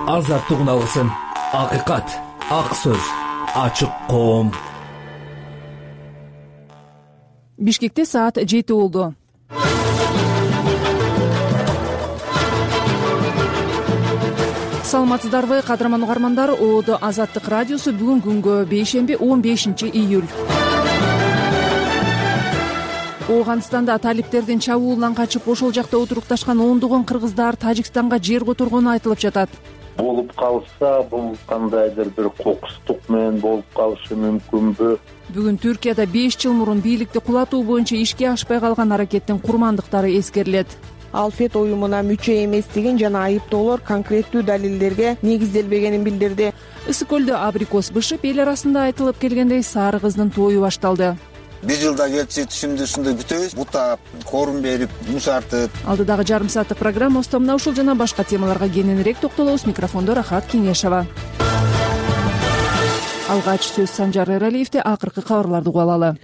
азаттык алсын. Акыйкат, ак сөз, ачык коом. Бишкекте саат 7 болду. Саламатсыздарбы, кадырман угармандар. ООД Азаттык радиосу бүгүн күнгө бейшемби 15 июль. Ооганстанда талиптердин чабуулунан качып ошол жакта отурукташкан ондогон кыргыздар Тажикстанга жер которгону айтылып жатат. Болуп калса, бул кандайдыр бир кокустук менен болуп калышы мүмкүнбү? Бүгүн Түркияда 5 жыл мурун бийликти кулатуу боюнча ишке ашпай калган аракеттин курмандыктары эскерилет. Алфет уюмуна мүчө эместигин жана айыптоолор конкреттүү далилдерге негизделбегенин билдирди. Ысык көлдө абрикос бышып, эл арасында айтылып келгендей сары кыздын тою башталды. Бир жылда келчи түшүмдү ушундай бүтөбүз, бутап, корум берип, мушартып. Алдыдагы жарым сааттык программабызда мына ушул жана башка темаларга кененирээк токтолобуз. Микрофондо Рахат Кеңешова. Алгач сөз Санжар Эралиевде. Акыркы кабарларды угуп алалы.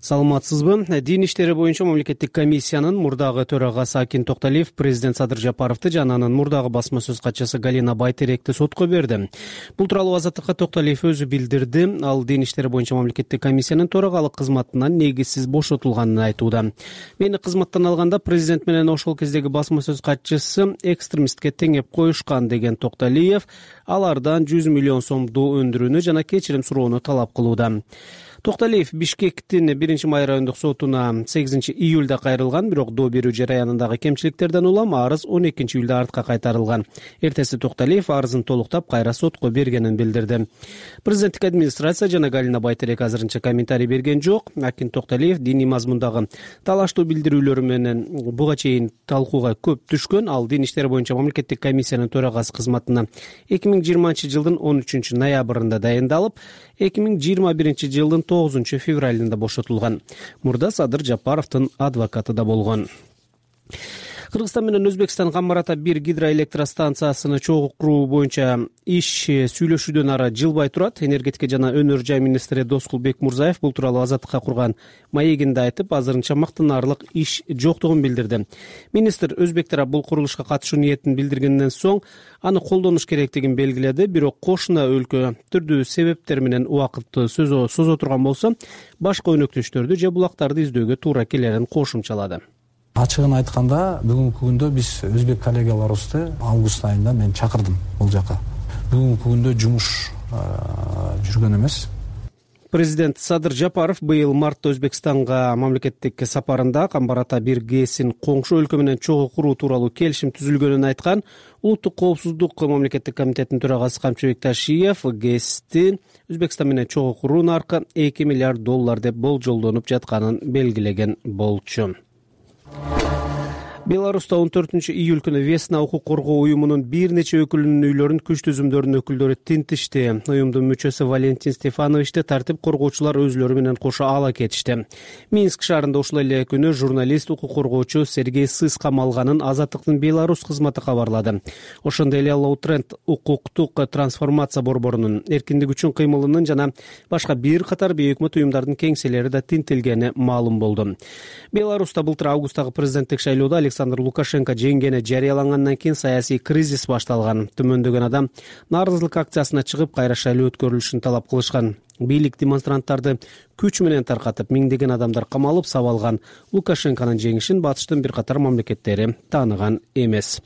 Саламатсызбы? Дин иштери боюнча мамлекеттик комиссиянын мурдагы төрагасы Акин Токталиев президент Садыр Жапаровду жана анын мурдагы басма сөз катчысы Галина Байтеректи сотко берди. Бул тууралуу Азаттыкка Токталиев өзү билдирди. Ал дин иштери боюнча мамлекеттик комиссиянын төрагалык кызматынан негизсиз бошотулганын айтууда. Мени кызматтан алганда президент менен ошол кездеги басма сөз катчысы экстремистке теңеп коюшкан деген Токталиев алардан 100 миллион сомду өндүрүүнү жана кечирим суроону талап кылууда. Токталиев Бишкектин 1-май райондук сотуна 8 июлда кайрылган, бирок доо берүү жараянындагы кемчиликтерден улам арыз 12 июлда артка кайтарылган. Эртеси Токталиев арызын толуктап кайра сотко бергенин билдирди. Президенттик администрация жана Галина Байтерек азырынча комментарий берген жок. Акин Токталиев диний мазмундагы талаштуу билдирүүлөрү менен буга чейин талкууга көп түшкөн. Ал дин иштери боюнча мамлекеттик комиссиянын төрагасы кызматына 2020 жылдын 13 ноябрында дайындалып, 2021 жылдын 9 февралында бошотулган. Мурда Садыр Жапаровдун адвокаты да болгон. Кыргызстан менен Өзбекстан Камбарата 1 гидроэлектростанциясыны чогуу куруу боюнча иш сүйлөшүүдөн ары жылбай турат. Энергетика жана өнөр жай министри Доскул Бекмурзаев бул тууралуу Азаттыкка курган маегинде айтып, азырынча мактанаарлык иш жоктугун билдирди. Министр өзбек тарап бул курулушка катышуу ниетин билдиргенден соң аны колдонуш керектигин белгиледи. Бирок кошуна өлкө түрдүү себептер менен убакытты созо турган болсо, башка өнөктөштөрдү же булактарды издөөгө туура келерин кошумчалады. Ачыгын айтканда, бүгүнкү күндө биз өзбек коллегаларыбызды август айында мен чакырдым бул жака. Бүгүнкү күндө жумуш жүргөн эмес. Президент Садыр Жапаров быйыл мартта Өзбекстанга мамлекеттик сапарында Камбарата 1 ГЭСин коңшу өлкө менен чогуу куруу тууралуу келишим түзүлгөнүн айткан. Улуттук коопсуздук мамлекеттик комитетинин төрагасы Камчыбек Ташиев ГЭСти Өзбекстан менен чогуу куруу наркы $2 миллиард деп болжолдонуп жатканын белгилеген болчу. Беларуста 14 июль күнү Весна укук коргоо уюмунун бир нече өкүлүнүн үйлөрүн күч түзүмдөрүнүн өкүлдөрү тинтишти. Уюмдун мүчөсү Валентин Стефановичти тартип коргоочулар өзлөрү менен кошо ала кетишти. Минск шаарында ушул эле күнү журналист укук коргоочу Сергей Сыс камалганын Азаттыктын Беларусь кызматы кабарлады. Ошондой эле Лоутренд укуктук трансформация борборунун эркиндик үчүн кыймылынын жана башка бир катар бейөкмөт уюмдардын кеңселери да тинтилгени маалым болду. Беларуста былтыр августтагы президенттик шайлоодо Александр Лукашенко жеңгени жарыялангандан кийин саясий кризис башталган. Түмөндөгөн адам нааразылык акциясына чыгып, кайра шайлоо өткөрүлүшүн талап кылышкан. Бийлик демонстранттарды күч менен таркатып, миңдеген адамдар камалып сабалган. Лукашенконун жеңишин батыштын бир катар мамлекеттери тааныган эмес.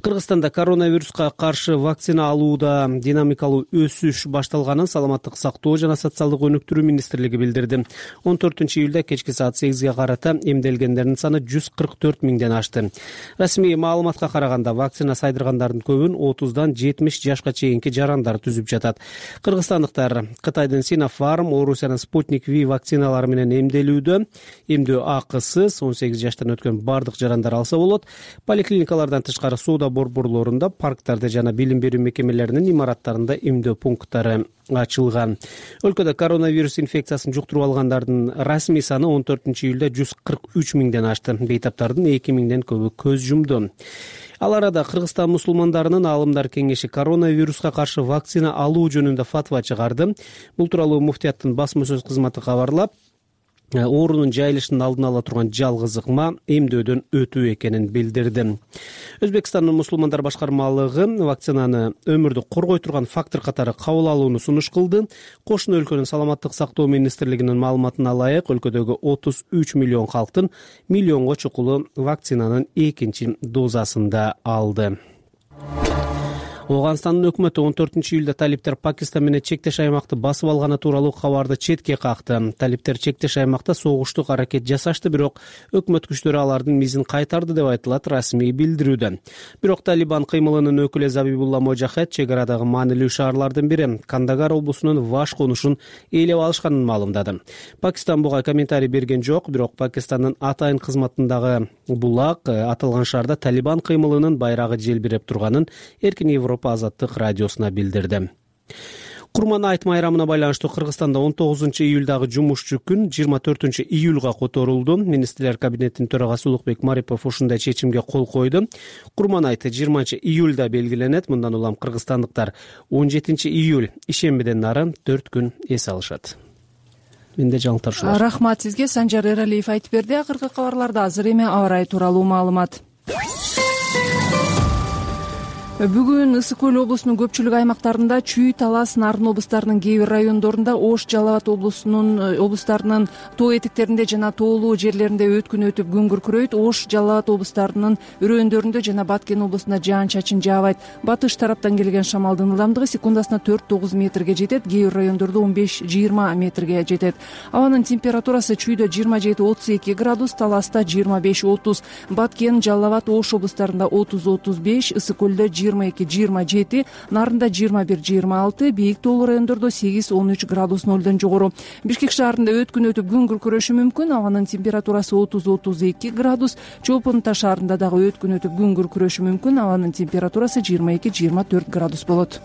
Кыргызстанда коронавируска каршы вакцина алууда динамикалуу өсүш башталганын Саламаттык сактоо жана социалдык өнүктүрүү министрлиги билдирди. 14 июлда кечки саат 8ге карата эмделгендердин саны 144 миңден ашты. Расмий маалыматка караганда вакцина сайдыргандардын көбүн 30дан 70 жашка чейинки жарандар түзүп жатат. Кыргызстандыктар Кытайдын Sinopharm, Орусиянын Sputnik V вакциналары менен эмделүүдө. Эмдөө акысыз 18 жаштан өткөн бардык жарандар алса болот. Поликлиникалардан тышкары соода борборлорунда, парктарда жана билим берүү мекемелеринин имараттарында эмдөө пункттары ачылган. Өлкөдө коронавирус инфекциясын жуктуруп алгандардын расмий саны 14 июлда 143 миңден ашты. Бейтаптардын 2 миңден көбү көз жумду. Ал арада Кыргызстан мусулмандарынын аалымдар кеңеши коронавируска каршы вакцина алуу жөнүндө фатва чыгарды. Бул тууралуу муфтияттын басма сөз кызматы кабарлап, оорунун жайылышынын алдын ала турган жалгыз ыкма эмдөөдөн өтүү экенин билдирди. Өзбекстандын мусулмандар башкармалыгы вакцинаны өмүрдү коргой турган фактор катары кабыл алууну сунуш кылды. Кошуна өлкөнүн саламаттык сактоо министрлигинин маалыматына ылайык, өлкөдөгү 33 миллион калктын миллионго чукулу вакцинанын экинчи дозасын да алды. Ооганстандын өкмөтү 14-июлда талиптер Пакистан менен чектеш аймакты басып алганы тууралуу кабарды четке какты. Талиптер чектеш аймакта согуштук аракет жасашты, бирок өкмөт күчтөрү алардын мизин кайтарды деп айтылат расмий билдирүүдө. Бирок Талибан кыймылынын өкүлү Забибулла Можахед чек арадагы маанилүү шаарлардын бири Кандагар облусунун Ваш конушун ээлеп алышканын маалымдады. Пакистан буга комментарий берген жок, бирок Пакистандын атайын кызматындагы булак аталган шаарда Талибан кыймылынын байрагы желбиреп турганын Эркин Европа азаттык радиосуна билдирди. Курман айт майрамына байланыштуу Кыргызстанда 19-июлдагы жумушчу күн 24-июлга которулду. Министрлер кабинетинин төрагасы Улукбек Марипов ушундай чечимге кол койду. Курман айты 20-июлда белгиленет. Мындан улам кыргызстандыктар 17-июль ишембиден нары 4 күн эс алышат. Менде жаңылыктар ушулар. Рахмат сизге. Санжар Эралиев айтып берди. Акыркы кабарларда азыр эми аба ырайы тууралуу маалымат. Бүгүн Ысык көл облусунун көпчүлүк аймактарында Чүй, Талас, Нарын облустарынын кээ бир райондорунда, Ош, Жалал Абад облустарынын тоо этектеринде жана тоолуу жерлеринде өткүн өтүп күн күркүрөйт. Ош, Жалал Абад облустарынын өрөөндөрүндө жана Баткен облусунда жаан-чачын жаабайт. Батыш тараптан келген шамалдын ылдамдыгы секундасына 4-9 метрге жетет, кээ бир райондордо 15-20 метрге жетет. Абанын температурасы Чүйдө 27-32 градус, Таласта 25-30, Баткен, Жалал Абад, Ош облустарында 30-35, Ысык көлдө 22-27, Нарында 21-26, бийик тоолуу райондордо 8-13 градус нөлдөн жогору. Бишкек шаарында өткүн өтүп күн күркүрөшү мүмкүн. Абанын температурасы 30-32 градус. Чолпон Таш шаарында дагы өткүн өтүп күн күркүрөшү мүмкүн. Абанын температурасы 22-24 градус болот.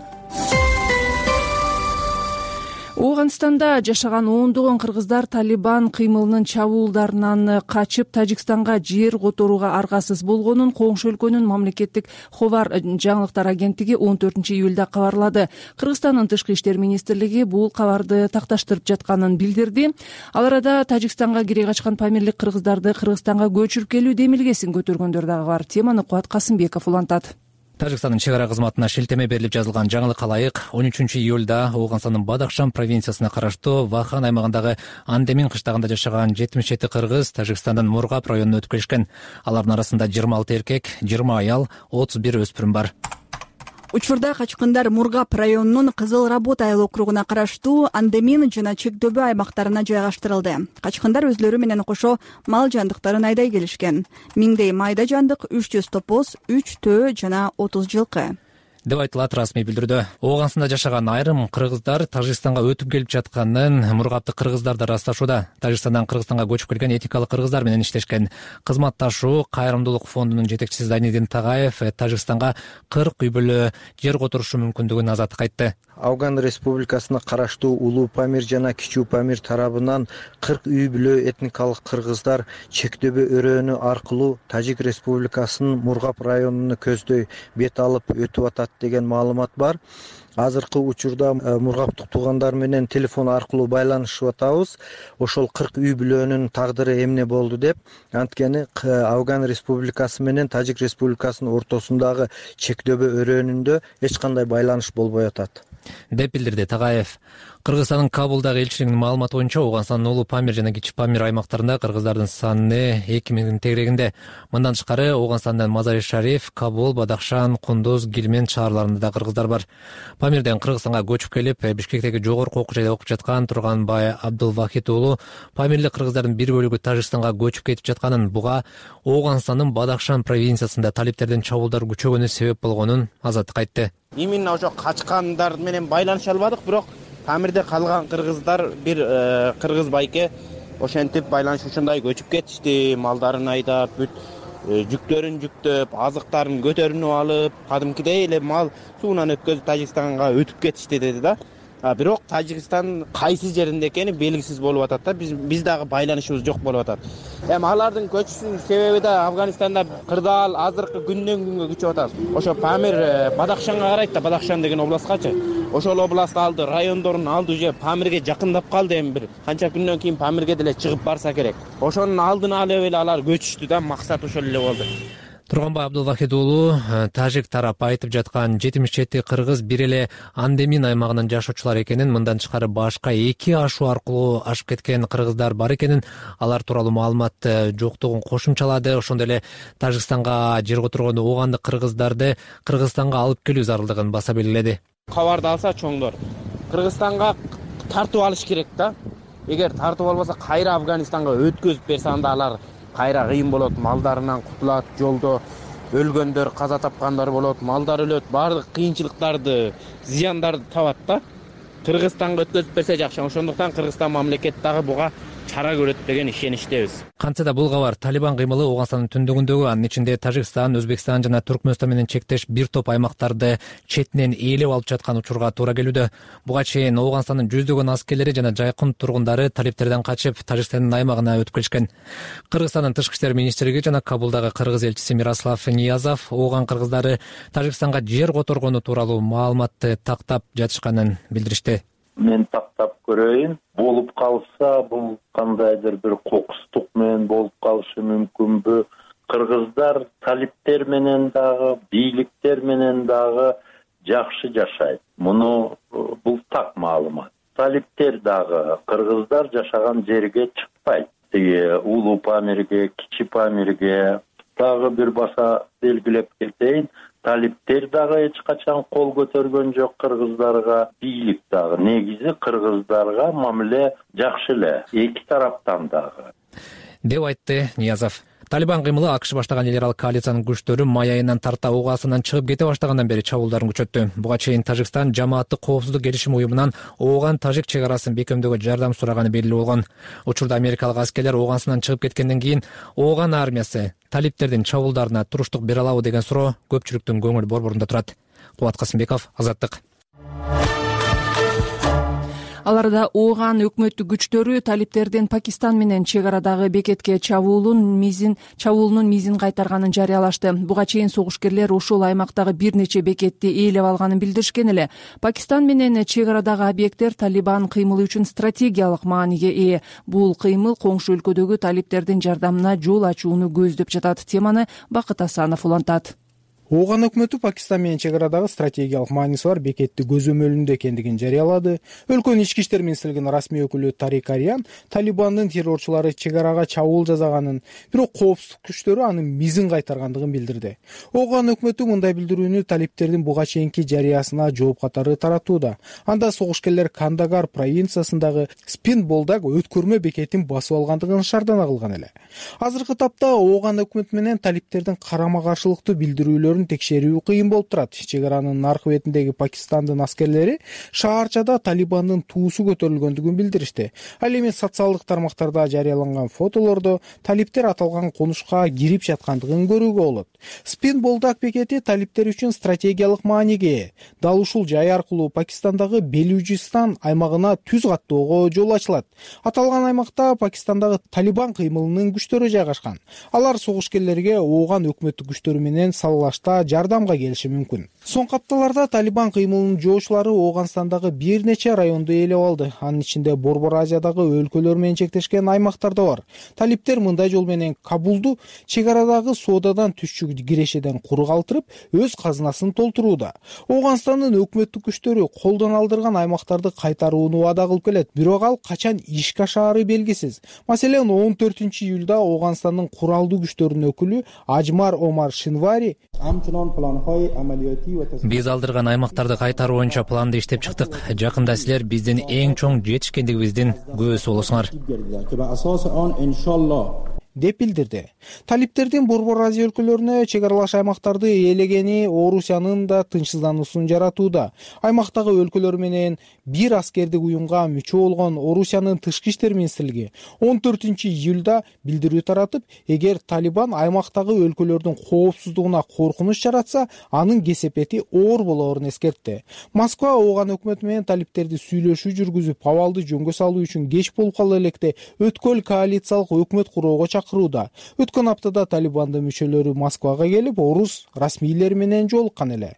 Ооганстанда жашаган ондогон кыргыздар Талибан кыймылынын чабуулдарынан качып Тажикстанга жер которууга аргасыз болгонун коңшу өлкөнүн мамлекеттик Ховар жаңылыктар агенттиги 14-июлда кабарлады. Кыргызстандын тышкы иштер министрлиги бул кабарды такташтырып жатканын билдирди. Ал арада Тажикстанга кире качкан памирлик кыргыздарды Кыргызстанга көчүрүп келүү демилгесин көтөргөндөр дагы бар. Теманы Кубат Касымбеков улантат. Тажикстандын чек ара кызматына шилтеме берилип жазылган жаңылыкка ылайык 13-июлда Ооганстандын Бадахшан провинциясына караштуу Вахан аймагындагы Андемин кыштагында жашаган 77 кыргыз Тажикстандын Мургап районуна өтүп келишкен. Алардын арасында 26 эркек, 20 аял, 31 өспүрүм бар. Учурда качкындар Мургап районунун Кызыл Работа айыл округуна караштуу Андемин жана Чекдөбө аймактарына жайгаштырылды. Качкындар өзлөрү менен кошо мал жандыктарын айдай келишкен. Миңдей майда жандык, 300 топоз, 3 төө жана 30 жылкы деп айтылат расмий билдирүүдө. Ооганстанда жашаган айрым кыргыздар Тажикстанга өтүп келип жатканын Мургаптык кыргыздар да ырасташууда. Тажикстандан Кыргызстанга көчүп келген этикалык кыргыздар менен иштешкен. Кызматташуу кайрымдуулук фондунун жетекчиси Зайнидин Тагаев Тажикстанга 40 үй бүлө жер которушу мүмкүндүгүн азаттык айтты. Афган Республикасына караштуу Улуу Памир жана Кичүү Памир тарабынан 40 үй бүлө этникалык кыргыздар Чекдөбө өрөөнү аркылуу Тажик Республикасынын Мургап районуна көздөй бет алып өтүп атат деген маалымат бар. Азыркы учурда Мургаптык туугандар менен телефон аркылуу байланышып атабыз. Ошол 40 үй бүлөнүн тагдыры эмне болду деп. Анткени Афган Республикасы менен Тажик Республикасынын ортосундагы Чекдөбө өрөөнүндө эч кандай байланыш болбой атат деп билдирди Тагаев. Кыргызстандын Кабулдагы элчилигинин маалыматы боюнча Ооганстандын Улуу Памир жана Кичи Памир аймактарында кыргыздардын саны 2000 тегерегинде. Мындан тышкары Ооганстандын Мазари Шариф, Кабул, Бадахшан, Кундуз, Гилмен шаарларында да кыргыздар бар. Памирден Кыргызстанга көчүп келип, Бишкектеги жогорку окуу жайда окуп жаткан Турганбай Абдулвахит уулу памирлик кыргыздардын бир бөлүгү Тажикстанга көчүп кетип жатканын, буга Ооганстандын Бадахшан провинциясында талиптердин чабуулдар күчөгөнү себеп болгонун азаттык айтты. Именно ошо качкандар менен байланыша албадык, бирок Памирде калган кыргыздар бир кыргыз байке ошентип байланышушундай көчүп кетишти, малдарын айдап, бүт жүктөрүн жүктөп, азыктарын көтөрүнүп алып, кадимкидей эле мал суунан өткөзүп Тажикстанга өтүп кетишти деди да. Бирок Тажикстан кайсы жеринде экени белгисиз болуп атат да. Биз дагы байланышыбыз жок болуп атат. Эми алардын көчүшүнүн себеби да Афганистанда кырдаал азыркы күндөн күнгө күчөп атат. Ошо Памир Бадахшанга карайт да, Бадахшан деген областкачы. Ошол област алды, райондорун алды, уже Памирге жакындап калды. Эми бир канча күндөн кийин Памирге деле чыгып барса керек. Ошонун алдын алып эле алар көчүштү да, максат ошол эле болду. Турганбай Абдулвахид уулу, тажик тарап айтып жаткан 77 кыргыз бир эле Андемин аймагынын жашоочулары экенин, мындан тышкары башка 2 ашуу аркылуу ашып кеткен кыргыздар бар экенин, алар тууралуу маалымат жоктугун кошумчалады. Ошондой эле Тажикстанга жер которгон оогандык кыргыздарды Кыргызстанга алып келүү зарылдыгын баса белгиледи. Кабарды алса чоңдор Кыргызстанга тартып алыш керек да. Эгер тартып албаса кайра Афганистанга өткөзүп берсе, анда алар кайра кыйын болот, малдарынан кутулат, жолдо өлгөндөр, каза тапкандар болот, малдар өлөт, баардык кыйынчылыктарды, зыяндарды табат да. Кыргызстанга өткөзүп берсе жакшы. Ошондуктан Кыргызстан мамлекети дагы буга чара көрөт деген ишеничтебиз. Кантсе да бул кабар Талибан кыймылы Ооганстандын түндүгүндөгү, анын ичинде Тажикстан, Өзбекстан жана Түркмөнстан менен чектеш бир топ аймактарды четинен ээлеп алып жаткан учурга туура келүүдө. Буга чейин Ооганстандын жүздөгөн аскерлери жана жайкын тургундары талиптерден качып Тажикстандын аймагына өтүп келишкен. Кыргызстандын тышкы иштер министрлиги жана Кабулдагы кыргыз элчиси Мирослав Ниязов Ооган кыргыздары Тажикстанга жер которгону тууралуу маалыматты тактап жатышканын билдиришти. Мен тактап көрөйүн. Болуп калса, бул кандайдыр бир кокустук менен болуп калышы мүмкүнбү? Кыргыздар талиптер менен дагы, бийликтер менен дагы жакшы жашайт. Муну бул так маалымат. Талиптер дагы кыргыздар жашаган жерге чыкпайт. Улуу Памирге, Кичи Памирге дагы бир баса белгилеп кетейин. Талиптер дагы эч качан кол көтөргөн жок кыргыздарга, бийлик дагы негизи кыргыздарга мамиле жакшы эле, эки тараптан дагы, деп айтты Ниязов. Талибан кыймылы АКШ баштаган эл аралык коалициянын күчтөрү май айынан тарта Ооганстандан чыгып кете баштагандан бери чабуулдарын күчөттү. Буга чейин Тажикстан жамааттык коопсуздук келишими уюмунан Ооган-Тажик чек арасын бекемдөөгө жардам сураганы белгилүү болгон. Учурда америкалык аскерлер Ооганстандан чыгып кеткенден кийин Ооган армиясы талиптердин чабуулдарына туруштук бере алабы деген суроо көпчүлүктүн көңүл борборунда турат. Кубат Касымбеков, Азаттык. Аларда Ооган өкмөттүк күчтөрү талиптердин Пакистан менен чек арадагы бекетке чабуулунун мизин кайтарганын жарыялашты. Буга чейин согушкерлер ушул аймактагы бир нече бекетти ээлеп алганын билдиришкен эле. Пакистан менен чек арадагы объекттер Талибан кыймылы үчүн стратегиялык мааниге ээ. Бул кыймыл коңшу өлкөдөгү талиптердин жардамына жол ачууну көздөп жатат. Теманы Бакыт Асанов улантат. Ооган өкмөтү Пакистан менен чек арадагы стратегиялык мааниси бар бекетти көзөмөлүндө экендигин жарыялады. Өлкөнүн ички иштер министрлигинин расмий өкүлү Тарик Ариан Талибандын террорчулары чек арага чабуул жасаганын, бирок коопсуздук күчтөрү анын мизин кайтаргандыгын билдирди. Ооган өкмөтү мындай билдирүүнү талиптердин буга чейинки жарыясына жооп катары таратууда. Анда согушкерлер Кандагар провинциясындагы Спин Болдаг өткөрмө бекетин басып алгандыгын шаардана кылган эле. Азыркы тапта Ооган өкмөтү менен талиптердин карама каршылыктуу билдирүүлөрүн текшерүү кыйын болуп турат. Чек аранын аркы бетиндеги Пакистандын аскерлери шаарчада Талибандын туусу көтөрүлгөндүгүн билдиришти. Ал эми социалдык тармактарда жарыяланган фотолордо талиптер аталган конушка кирип жаткандыгын көрүүгө болот. Спин Болдаг бекети талиптер үчүн стратегиялык мааниге ээ. Дал ушул жай аркылуу Пакистандагы Белужистан аймагына түз каттоого жол ачылат. Аталган аймакта Пакистандагы Талибан кыймылынын күчтөрү жайгашкан. Алар согушкерлерге Ооган өкмөттүк күчтөрү менен саллашта жардамга келиши мүмкүн. Соңку апталарда Талибан кыймылынын жоочулары Ооганстандагы бир нече районду ээлеп алды. Анын ичинде Борбор Азиядагы өлкөлөр менен чектешкен аймактар да бар. Талиптер мындай жол менен Кабулду чек арадагы соодадан түшчү кирешеден куру калтырып, өз казынасын толтурууда. Ооганстандын өкмөттүк күчтөрү колдон алдырган аймактарды кайтарууну убада кылып келет, бирок ал качан ишке ашаары белгисиз. Маселен, 14-июлда Ооганстандын куралдуу күчтөрүнүн өкүлү Ажмар Омар Шинвари биз алдырган аймактарды кайтаруу боюнча планды иштеп чыктык. Жакында силер биздин эң чоң жетишкендигибиздин күбөсү болосуңар. деп билдирди. Талиптердин Борбор Азия өлкөлөрүнө чек аралаш аймактарды ээлегени Орусиянын да тынчсыздануусун жаратууда. Аймактагы өлкөлөр менен бир аскердик уюмга мүчө болгон Орусиянын тышкы иштер министрлиги 14-июлда билдирүү таратып, эгер Талибан аймактагы өлкөлөрдүн коопсуздугуна коркунуч жаратса, анын кесепети оор болоорун эскертти. Москва Ооган өкмөтү менен талиптерди сүйлөшүү жүргүзүп, абалды жөнгө салуу үчүн кеч болуп кала электе өткөл коалициялык өкмөт куроого чакырууда. Өткөн аптада Талибандын мүчөлөрү Москвага келип, орус расмийлери менен жолуккан эле.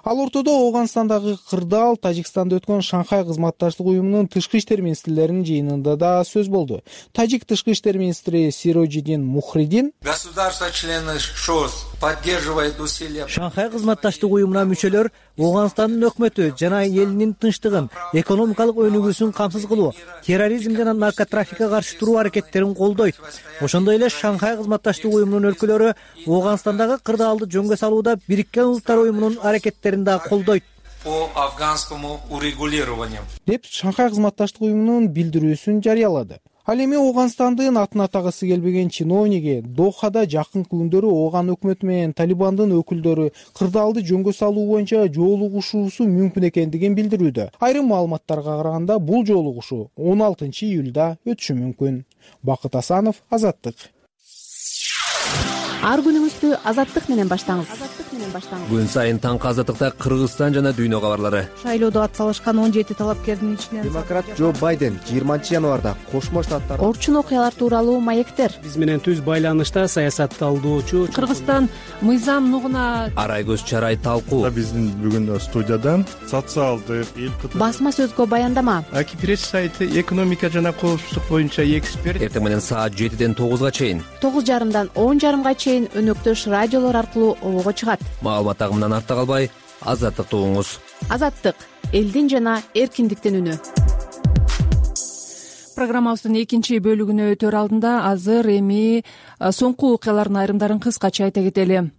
Ал ортодо Ооганстандагы кырдаал Тажикстанда өткөн Шанхай кызматташтык уюмунун тышкы иштер министрлеринин жыйынында да сөз болду. Тажик тышкы иштер министри Сирожиддин Мухридин государства-члены ШОС поддерживает усилия. Шанхай кызматташтык уюмуна мүчөлөр Ооганстандын өкмөтү жана элинин тынчтыгын, экономикалык өнүгүүсүн камсыз кылуу, терроризм жана наркотрафикке каршы туруу аракеттерин колдойт. Ошондой эле Шанхай кызматташтык уюмунун өлкөлөрү Ооганстандагы кырдаалды жөнгө салууда Бириккен Улуттар уюмунун аракеттерин да колдойт. По афганскому урегулированию. Деп Шанхай кызматташтык уюмунун билдирүүсүн жарыялады. Ал эми Ооганстандын атын атагысы келбеген чиновниги Дохада жакынкы күндөрү Ооган өкмөтү менен Талибандын өкүлдөрү кырдаалды жөнгө салуу боюнча жолугушуусу мүмкүн экендигин билдирүүдө. Айрым маалыматтарга караганда бул жолугушуу 16-июлда өтүшү мүмкүн. Бакыт Асанов, Азаттык. Ар күнүңүздү Азаттык менен баштаңыз. Күн сайын таңкы Азаттыкта Кыргызстан жана дүйнө кабарлары. Шайлоодо ат салышкан 17 талапкердин ичинен демократ Джо Байден 20-январда Кошмо Штаттар орчун окуялар тууралуу маектер. Биз менен түз байланышта саясатталдоочу Кыргызстан мыйзам нугуна Арай көз чарай талкуу. Биздин бүгүн студиядан социалдык басма сөзгө баяндама. Аки пресс сайты экономика жана коопсуздук боюнча эксперт. Эртең менен саат 7ден 9га чейин, 9:30дан 10:30га чейин өнөктөш радиолор аркылуу обого чыгат. Маалымат агымынан артта калбай, Азаттыкты угуңуз. Азаттык — элдин жана эркиндиктин үнү. Программабыздын экинчи бөлүгүнө өтөр алдында азыр эми соңку окуялардын айрымдарын кыскача айта кетели.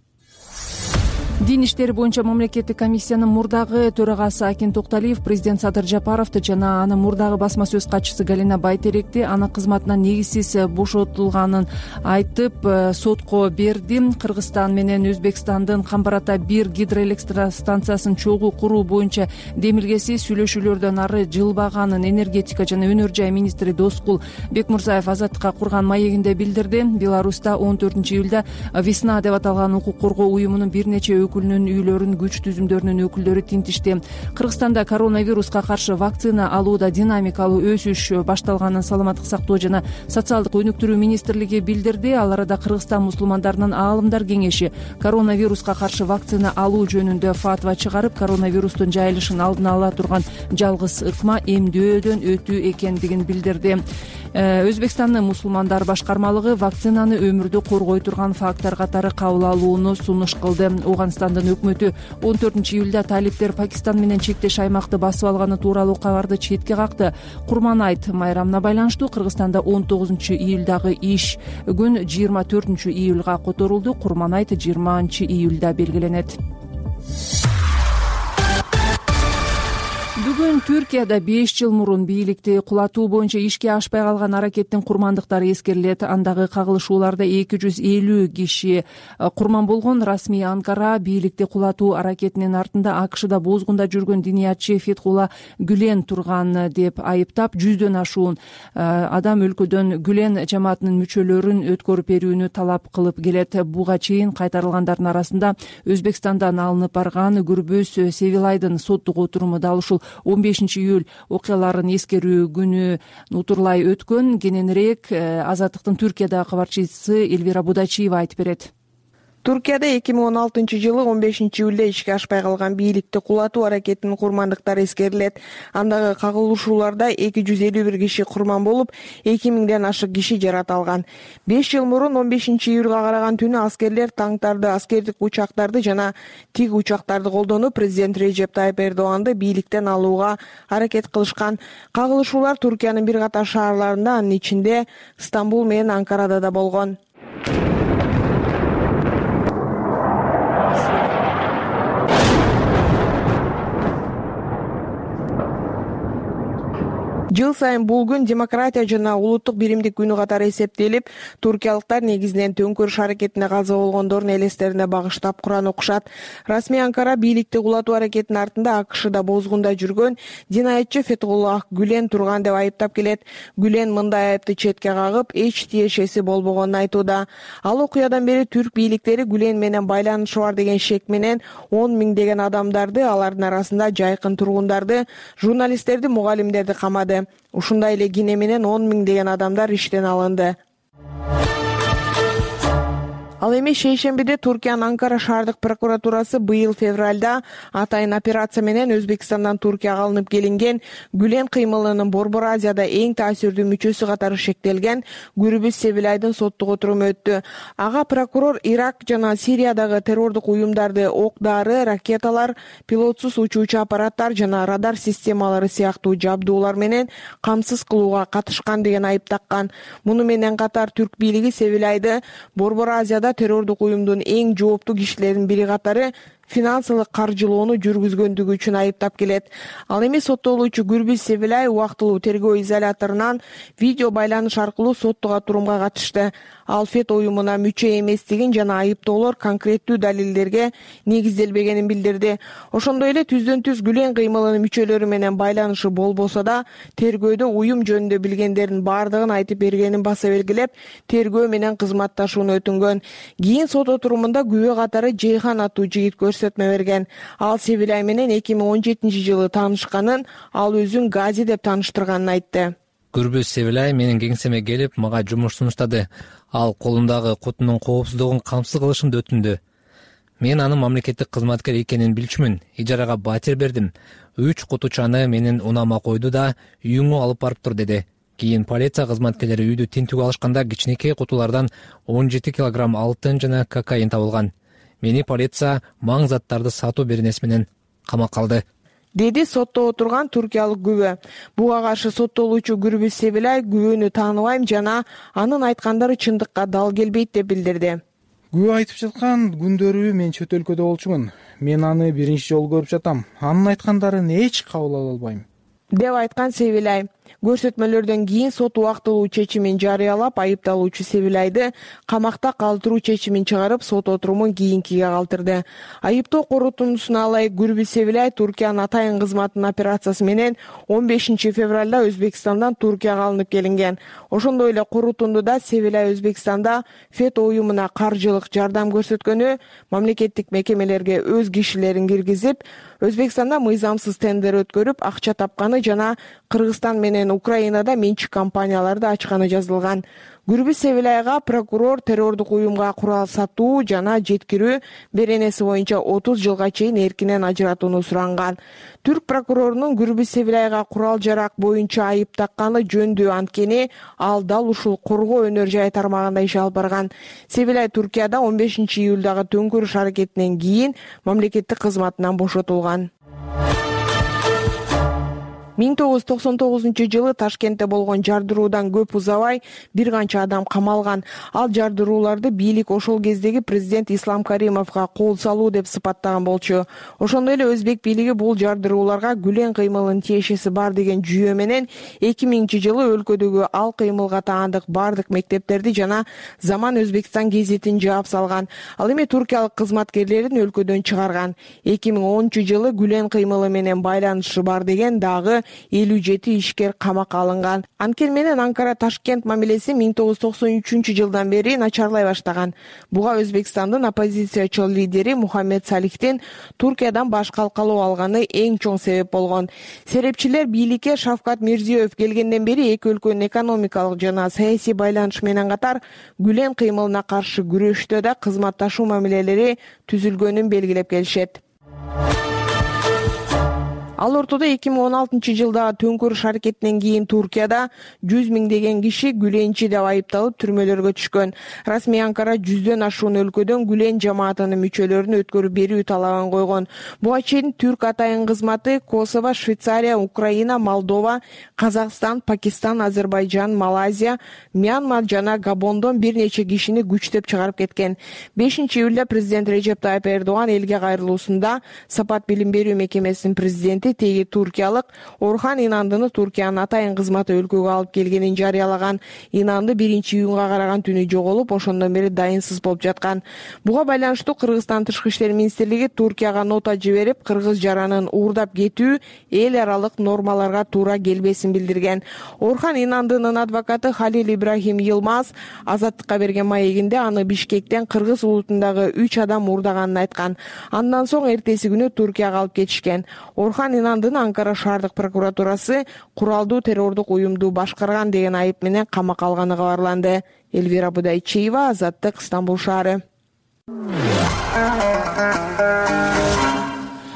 Дин иштери боюнча мамлекеттик комиссиянын мурдагы төрагасы Акин Токталиев президент Садыр Жапаровду жана анын мурдагы басма сөз катчысы Галина Байтеректи анын кызматынан негизсиз бошотулганын айтып сотко берди. Кыргызстан менен Өзбекстандын Камбар Ата 1 гидроэлектростанциясын чогуу куруу боюнча демилгеси сүйлөшүүлөрдөн ары жылбаганын энергетика жана өнөр жай министри Доскул Бекмурзаев Азаттыкка курган маегинде билдирди. Беларуста 14-июлда Весна деп аталган укук коргоо уюмунун бир нече өкүлүнүн үйлөрүн күч түзүмдөрүнүн өкүлдөрү тинтишти. Кыргызстанда коронавируска каршы вакцина алууда динамикалуу өсүш башталганын Саламаттык сактоо жана социалдык өнүктүрүү министрлиги билдирди. Ал арада Кыргызстан мусулмандарынын аалымдар кеңеши коронавируска каршы вакцина алуу жөнүндө фатва чыгарып, коронавирустун жайылышын алдын ала турган жалгыз ыкма эмдөөдөн өтүү экендигин билдирди. Өзбекстандын мусулмандар башкармалыгы вакцинаны өмүрдү коргой турган фактор катары кабыл алууну сунуш кылды. Ооганстандын өкмөтү 14-июлда талиптер Пакистан менен чектеш аймакты басып алганы тууралуу кабарды четке какты. Курман-айт майрамына байланыштуу Кыргызстанда 19-июлдагы иш күн 24-июлга которулду. Курман-айт 20-июлда белгиленет. Бүгүн Түркияда 5 жыл мурун бийликти кулатуу боюнча ишке ашпай калган аракеттин курмандыктары эскерилет. Андагы кагылышууларда 250 киши курман болгон. Расмий Анкара бийликти кулатуу аракетинин артында АКШда бозгунда жүргөн диниятчы Фетхулла Гүлен турган деп айыптап, 100дөн ашуун адам өлкөдөн Гүлен жамаатынын мүчөлөрүн өткөрүп берүүнү талап кылып келет. Буга чейин кайтарылгандардын арасында Өзбекстандан алынып барган Гүрбөз Севилайдын соттук отуруму да ушул 15-июль окуяларын эскерүү күнү утурлай өткөн. Кененирээк Азаттыктын Түркиядагы кабарчысы Элвира Будачиева айтып берет. Туркияда 2016-жылы 15-июлда ишке ашпай калган бийликти кулатуу аракетинин курмандыктары эскерилет. Андагы кагылышууларда 251 киши курман болуп, 2000ден ашык киши жараталган. 5 жыл мурун 15-июлга караган түнү аскерлер танктарды, аскердик учактарды жана тиг учактарды колдонуп, президент Режеп Тайып Эрдоганды бийликтен алууга аракет кылышкан. Кагылышуулар Туркиянын бир катар шаарларында, анын ичинде Стамбул менен Анкарада да болгон. Жыл сайын бул күн демократия жана улуттук биримдик күнү катары эсептелип, туркиялыктар негизинен төңкөрүш аракетине каза болгондордун элестерине багыштап Куран окушат. Расмий Анкара бийликти кулатуу аракетинин артында АКШда бозгунда жүргөн динаятчы Фетхуллах Гүлен турган деп айыптап келет. Гүлен мындай айыпты четке кагып, эч тиешеси болбогонун айтууда. Ал окуядан бери түрк бийликтери Гүлен менен байланышы бар деген шек менен 10 миңдеген адамдарды, алардын арасында жайкын тургундарды, журналисттерди, мугалимдерди камады. Ушундай эле кине менен 10 миңдеген адамдар иштен алынды. Ал эми шейшембиде Туркиянын Анкара шаардык прокуратурасы быйыл февралда атайын операция менен Өзбекстандан Туркияга алынып келинген Гүлен кыймылынын Борбор Азияда эң таасирдүү мүчөсү катары шектелген Гүрбүз Севилайдын соттук отуруму өттү. Ага прокурор Ирак жана Сириядагы террордук уюмдарды ок-дары, ракеталар, пилотсуз учуучу аппараттар жана радар системалары сыяктуу жабдуулар менен камсыз кылууга катышкан деген айып таккан. Муну менен катар түрк бийлиги Севилайды Борбор Азияда террордук уюмдун эң жооптуу кишилеринин бири катары финансылык каржылоону жүргүзгөндүгү үчүн айыптап келет. Ал эми соттолуучу Гүрбүз Севилай убактылуу тергөө изоляторунан видео байланыш аркылуу соттук отурумга катышты. Ал ФЕТ уюмуна мүчө эместигин жана айыптоолор конкреттүү далилдерге негизделбегенин билдирди. Ошондой эле түздөн-түз Гүлен кыймылынын мүчөлөрү менен байланышы болбосо да, тергөөдө уюм жөнүндө билгендердин бардыгын айтып бергенин баса белгилеп, тергөө менен кызматташууну өтүнгөн. Кийин сот отурумунда күбө катары Жейхан аттуу жигит көрсөтмө берген. Ал Севилай менен 2017-жылы таанышканын, ал өзүн Гази деп тааныштырганын айтты. Гүрбүз Севилай менин кеңсеме келип, мага жумуш сунуштады. Ал колундагы кутунун коопсуздугун камсыз кылышымды өтүндү. Мен анын мамлекеттик кызматкер экенин билчүмүн. Ижарага батир бердим. 3 кутучаны менен унама койду да, үйүңө алып барып тур деди. Кийин полиция кызматкерлери үйдү тинтүүгө алышканда кичинекей кутулардан 17 килограмм алтын жана кокаин табылган. Мени полиция маң заттарды сатуу беренеси менен камакка алды, деди сотто отурган туркиялык күбө. Буга каршы соттолуучу Гүрбүз Севилай күбөнү тааныбайм жана анын айткандары чындыкка дал келбейт деп билдирди. Күбө айтып жаткан күндөрү мен чөт өлкөдө болчумун. Мен аны биринчи жолу көрүп жатам. Анын айткандарын эч кабыл ала албайм, деп айткан Севилай. Көрсөтмөлөрдөн кийин сот убактылуу чечимин жарыялап, айыпталуучу Севилайды камакта калтыруу чечимин чыгарып, сот отурумун кийинкиге калтырды. Айыптоо корутундусуна ылайык Гүрбүз Севилай Туркиянын атайын кызматынын операциясы менен 15 февралда Өзбекстандан Туркияга алынып келинген. Ошондой эле корутундуда Севилай Өзбекстанда ФЕТ уюмуна каржылык жардам көрсөткөнү, мамлекеттик мекемелерге өз кишилерин киргизип, Өзбекстанда мыйзамсыз тендер өткөрүп, акча тапканы жана Кыргызстан менен Украинада менчик компанияларды ачканы жазылган. Гүрбүз Севилайга прокурор террордук уюмга курал сатуу жана жеткирүү беренеси боюнча 30 жылга чейин эркинен ажыратууну суранган. Түрк прокурорунун Гүрбүз Севилайга курал жарак боюнча айып такканы жөндүү, анткени ал дал ушул коргоо өнөр жай тармагында иш алып барган. Севилай Туркияда 15 июлдагы төңкөрүш аракетинен кийин мамлекеттик кызматынан бошотулган. 1999 Ташкентте болгон жардыруудан көп узабай бир канча адам камалган. Ал жардырууларды бийлик ошол кездеги президент Ислам Каримовго кол салуу деп сыпаттаган болчу. Ошондой эле өзбек бийлиги бул жардырууларга Гүлен кыймылынын тиешеси бар деген жүйө менен 2000-жылы өлкөдөгү ал кыймылга таандык бардык мектептерди жана Заман Өзбекстан гезитин жаап салган. Ал эми туркиялык кызматкерлерин өлкөдөн чыгарган. 2010-жылы Гүлен кыймылы менен байланышы бар деген дагы 57 ишкер камакка алынган. Анкер менен Анкара Ташкент мамилеси 1993-жылдан бери начарлай баштаган. Буга Өзбекстандын оппозициячыл лидери Мухаммед Салихтин Туркиядан баш калкалоо алганы эң чоң себеп болгон. Серепчилер бийликке Шавкат Мирзиёев келгенден бери эки өлкөнүн экономикалык жана саясий байланышы менен катар Гүлен кыймылына каршы күрөштө да кызматташуу мамилелери түзүлгөнүн белгилеп келишет. Ал ортодо 2016-жылдагы төңкөрүш аракетинен кийин Туркияда 100 миңдеген киши Гүленчи деп айыпталып түрмөлөргө түшкөн. Расмий Анкара 100дөн ашуун өлкөдөн Гүлен жамаатынын мүчөлөрүн өткөрүп берүү талабын койгон. Буга чейин түрк атайын кызматы Косово, Швейцария, Украина, Молдова, Казакстан, Пакистан, Азербайжан, Малайзия, Мьянма жана Габондон бир нече кишини күчтөп чыгарып кеткен. 5-июлда президент Режеп Тайып Эрдоган элге кайрылуусунда Сапат билим берүү мекемесинин президенти теги туркиялык Орхан Инандыны Туркиянын атайын кызматы өлкөгө алып келгенин жарыялаган. Инанды 1-июнга караган түнү жоголуп, ошондон бери дайынсыз болуп жаткан. Буга байланыштуу Кыргызстан Тышкы иштер министрлиги Туркияга нота жиберип, кыргыз жаранын уурдап кетүү эл аралык нормаларга туура келбесин билдирген. Орхан Инандынын адвокаты Халил Ибрахим Йылмаз Азаттыкка берген маегинде аны Бишкектен кыргыз улутундагы 3 адам уурдаганын айткан. Андан соң эртеси күнү Туркияга алып кетишкен. Орхан Инандыны Анкара шаардык прокуратурасы куралдуу террордук уюмду башкарган деген айып менен камакка алганы кабарланды. Элвира Будайчиева, Азаттык, Стамбул шаары.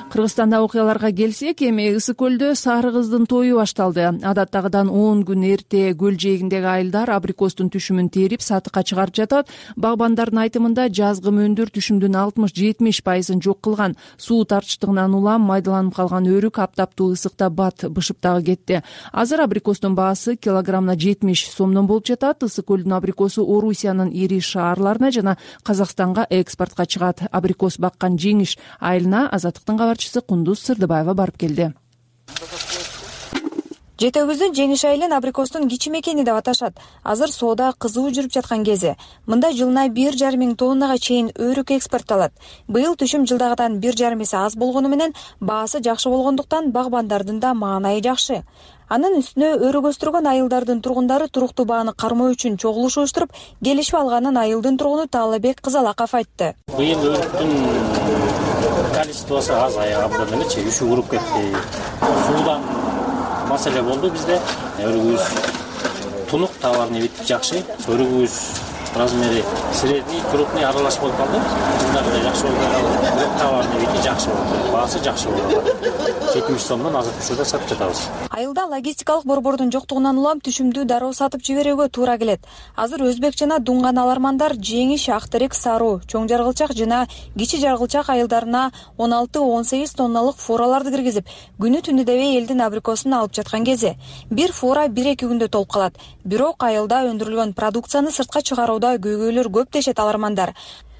Кыргызстанда окуяларга келсек, эми Ысык көлдө сары кыздын тою башталды. Адаттагыдан 10 күн эрте көл жээгиндеги айылдар абрикостун түшүмүн терип сатыкка чыгарып жатат. Багбандардын айтымында жазгы мөндүр түшүмдүн 60-70% жок кылган. Суу тартыштыгынан улам майдаланып калган өрүк аптаптуу ысыкта бат бышып дагы кетти. Азыр абрикостун баасы килограммына 70 сомдон болуп жатат. Ысык көлдүн абрикосу Орусиянын ири шаарларына жана Казакстанга экспортко чыгат. Абрикос баккан Жеңиш айылына Азаттыктын кабарчысы Кундуз Сырдыбаева барып келди. Жети Өгүздүн Жеңиш айылын абрикостун кичи мекени деп аташат. Азыр соода кызуу жүрүп жаткан кези. Мында жылына 1,5 миң тоннага чейин өрүк экспорттолот. Быйыл түшүм жылдагыдан 1,5 эсе аз болгону менен баасы жакшы болгондуктан багбандардын да маанайы жакшы. Анын үстүнө өрүк өстүргөн айылдардын тургундары туруктуу бааны кармоо үчүн чогулуш уюштуруп, келишип алганын айылдын тургуну Таалыбек Кызалаков айтты. Быйыл өрүктүн количествосу аз аягында элечи, үшү уруп кетти. Суудан маселе болду бизде. Өрүгүбүз тунук, товарный вид жакшы. Өрүгүбүз размери средний, крупный аралаш болуп калды. Жылдарда жакшы болду. Товарный види жакшы болду. Баасы жакшы болду. 70 сомдон азыр түшүрдө сатып жатабыз. Айылда логистикалык борбордун жоктугунан улам түшүмдү дароо сатып жиберүүгө туура келет. Азыр Өзбек жана Дунган алармандар Жеңиш, Актерек, Саруу, Чоң Жаргылчак жана Кичи Жаргылчак айылдарына 16-18 тонналык фураларды киргизип, күнү түнү дебей элдин абрикосун алып жаткан кези. Бир фура 1-2 күндө толуп калат. Бирок айылда өндүрүлгөн продукцияны сыртка чыгарууда көйгөйлөр көп дешет алармандар.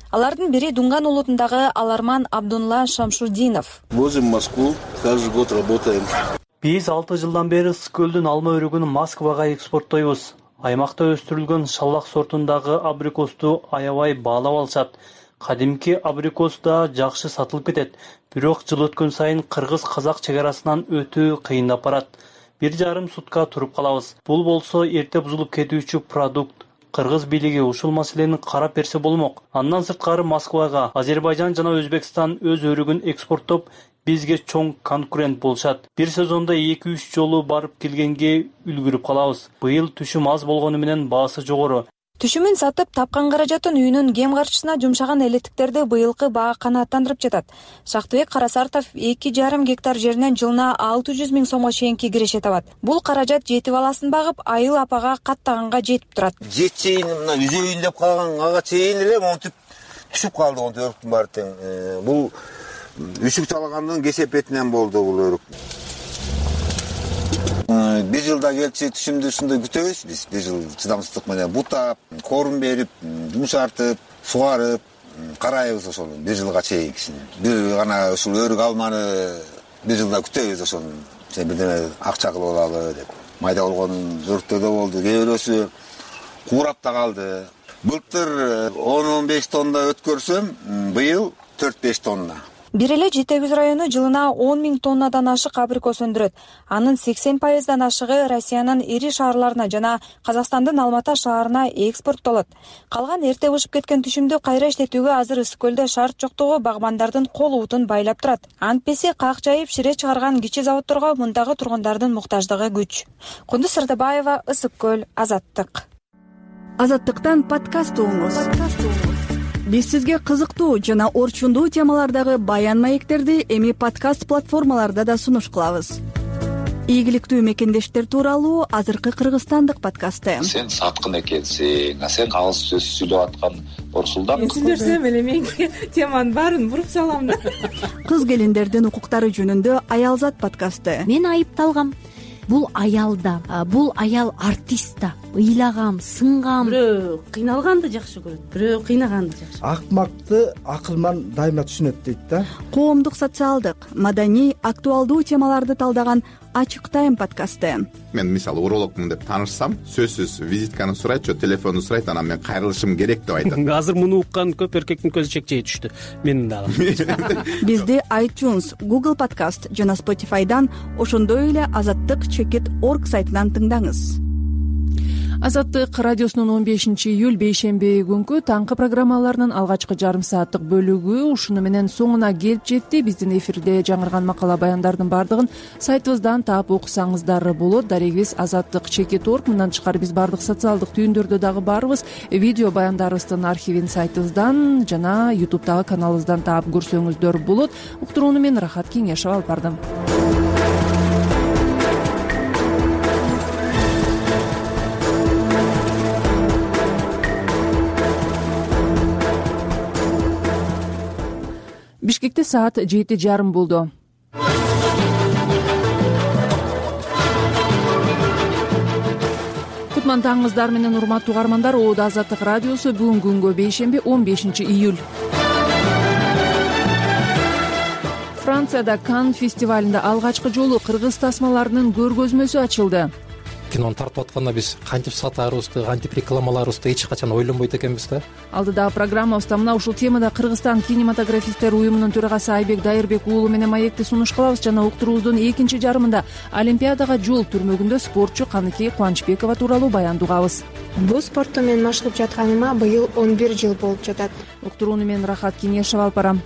Алардын бири Дунган улутундагы аларман Абдулла Шамшудинов. Возим Москву, каждый год работаем. Биз 6 жылдан бери Ысык көлдүн алма өрүгүн Москвага экспорттойбуз. Аймакта өстүрүлгөн шаллак сортундагы абрикосту аябай баалап алышат. Кадимки абрикос да жакшы сатылып кетет. Бирок жыл өткөн сайын кыргыз-казак чек арасынан өтүү кыйындап барат. 1,5 сутка туруп калабыз. Бул болсо эрте бузулуп кетүүчү продукт. Кыргыз бийлиги ушул маселени карап берсе болмок. Андан сырткары Москвага Азербайжан жана Өзбекстан өз өрүгүн экспорттоп, бизге чоң конкурент болушат. Бир сезондо 2-3 жолу барып келгенге үлгүрүп калабыз. Быйыл түшүм аз болгону менен баасы жогору. Түшүмүн сатып тапкан каражатын үйүнүн кем карчысына жумшаган элеттиктерди быйылкы баа канааттандырып жатат. Шактыбек Карасартов 2,5 гектар жеринен жылына 600 миң сомго чейинки киреше табат. Бул каражат жети баласын багып, айыл апага каттаганга жетип турат. Жетчейин мына үзөйүн деп калганга чейин эле монтип түшүп калды өрүктүн баары тең. Бул үшүк чалагандын кесепетинен болду бул өрүк. Bir жылда келчи түшүмдү ушундай күтөбүз биз. Bir жыл чыдамсыздык менен бутап, корун берип, жумшартып, сугарып карайбыз ошону bir жылга чейинкисин. Бир гана ушул өрүк алманы bir жылда күтөбүз ошону. Бирдеме акча кылып алалы деп. Майда болгон өрүктөр да болду. Кээ бирөөсү куурап да калды. Былтыр 10-15 тонна өткөрсөм, быйыл 4-5 тонна. Бир эле Жети Өгүз району жылына 10 миң тоннадан ашык абрикос өндүрөт. Анын 80%дан ашыгы Россиянын ири шаарларына жана Казакстандын Алмата шаарына экспорттолот. Калган эрте бышып кеткен түшүмдү кайра иштетүүгө азыр Ысык көлдө шарт жоктугу багбандардын кол утун байлап турат. Антпеси как жайып шире чыгарган кичи заводдорго мындагы тургундардын муктаждыгы күч. Кундуз Сырдыбаева, Ысык көл, Азаттык. Азаттыктан подкаст угуңуз. Биз сизге кызыктуу жана орчундуу темалардагы баян маектерди эми подкаст платформаларда да сунуш кылабыз. Ийгиликтүү мекендештер тууралуу азыркы кыргызстандык подкасты. Сен саткын экенсиң, сен алыс сөз сүйлөп аткан Орсулдан. Сүйлөсөм эле мен теманын баарын буруп салам да. Кыз келиндердин укуктары жөнүндө Аялзат подкасты. Мен айыпталгам. бул аял да, бул аял артист да. Ыйлагам, сынгам. Бирөө кыйналганды жакшы көрөт, бирөө кыйнаганды жакшы. Акмакты акылман дайыма түшүнөт дейт да. Коомдук, социалдык, маданий, актуалдуу темаларды талдаган Ачык Тайм подкасты. Мен мисалы урологмун деп таанышсам, сөзсүз визитканы сурайт, же телефонду сурайт, анан мен кайрылышым керек деп айтат. Азыр муну уккан көп эркектин көзү чекчей түштү. Менин дагы. Бизди iTunes, Google Podcast жана Spotify'дан, ошондой эле azattik.org сайтынан тыңдаңыз. Азаттык радиосунун 15-июль бейшемби күнкү таңкы программаларынын алгачкы жарым сааттык бөлүгү ушуну менен соңуна келип жетти. Биздин эфирде жаңырган макала баяндардын бардыгын сайтыбыздан таап окусаңыздар болот. Дарегибиз azattik.org. Мындан тышкары биз бардык социалдык түйүндөрдө дагы барбыз. Видео баяндарыбыздын архивин сайтыбыздан жана YouTube'дагы каналыбыздан таап көрсөңүздөр болот. Уктурууну мен Рахат Кеңешова алып бардым. Бишкекте саат 7:30 болду. Кутман таңыңыздар менен урматтуу угармандар. Оодо Азаттык радиосу бүгүнкү күнгө бейшемби 15-июль. Францияда Кан фестивалында алгачкы жолу кыргыз тасмаларынын көргөзмөсү ачылды. Кинону тартып атканда биз кантип сатаарыбызды, кантип рекламалаарыбызды эч качан ойлонбойт экенбиз да. Алдыдагы программабызда мына ушул темада Кыргызстан кинематографисттер уюмунун төрагасы Айбек Дайырбек уулу менен маекти сунуш кылабыз жана уктуруубуздун экинчи жарымында Олимпиадага жол түрмөгүндө спортчу Каныкей Кубанычбекова тууралуу баянды угабыз. Бул спортту мен машыгып жатканыма быйыл 11 жыл болуп жатат. Уктурууну мен Рахат Кеңешова алып барам.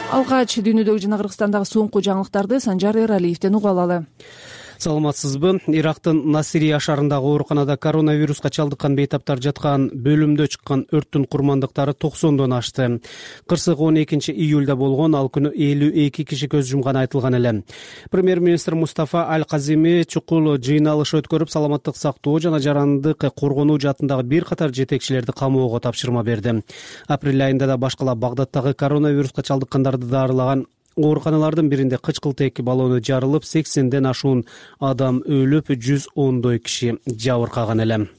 Алгач дүйнөдөгү жана Кыргызстандагы соңку жаңылыктарды Санжар Эралиевден угуп алалы. Саламатсызбы? Ирактын Насирия шаарындагы ооруканада коронавируска чалдыккан бейтаптар жаткан бөлүмдө чыккан өрттүн курмандыктары 90дон ашты. Кырсык 12-июлда болгон, ал күнү 52 киши көз жумганы айтылган эле. Премьер-министр Мустафа Аль-Казими чукул жыйналыш өткөрүп, саламаттык сактоо жана жарандык коргонуу жаатындагы бир катар жетекчилерди камоого тапшырма берди. Апрель айында да башкала Багдадтагы коронавируска чалдыккандарды даарылаган ооруканалардын биринде кычкылтек баллону жарылып, 80ден ашуун адам өлүп, 110дой киши жабыркаган эле.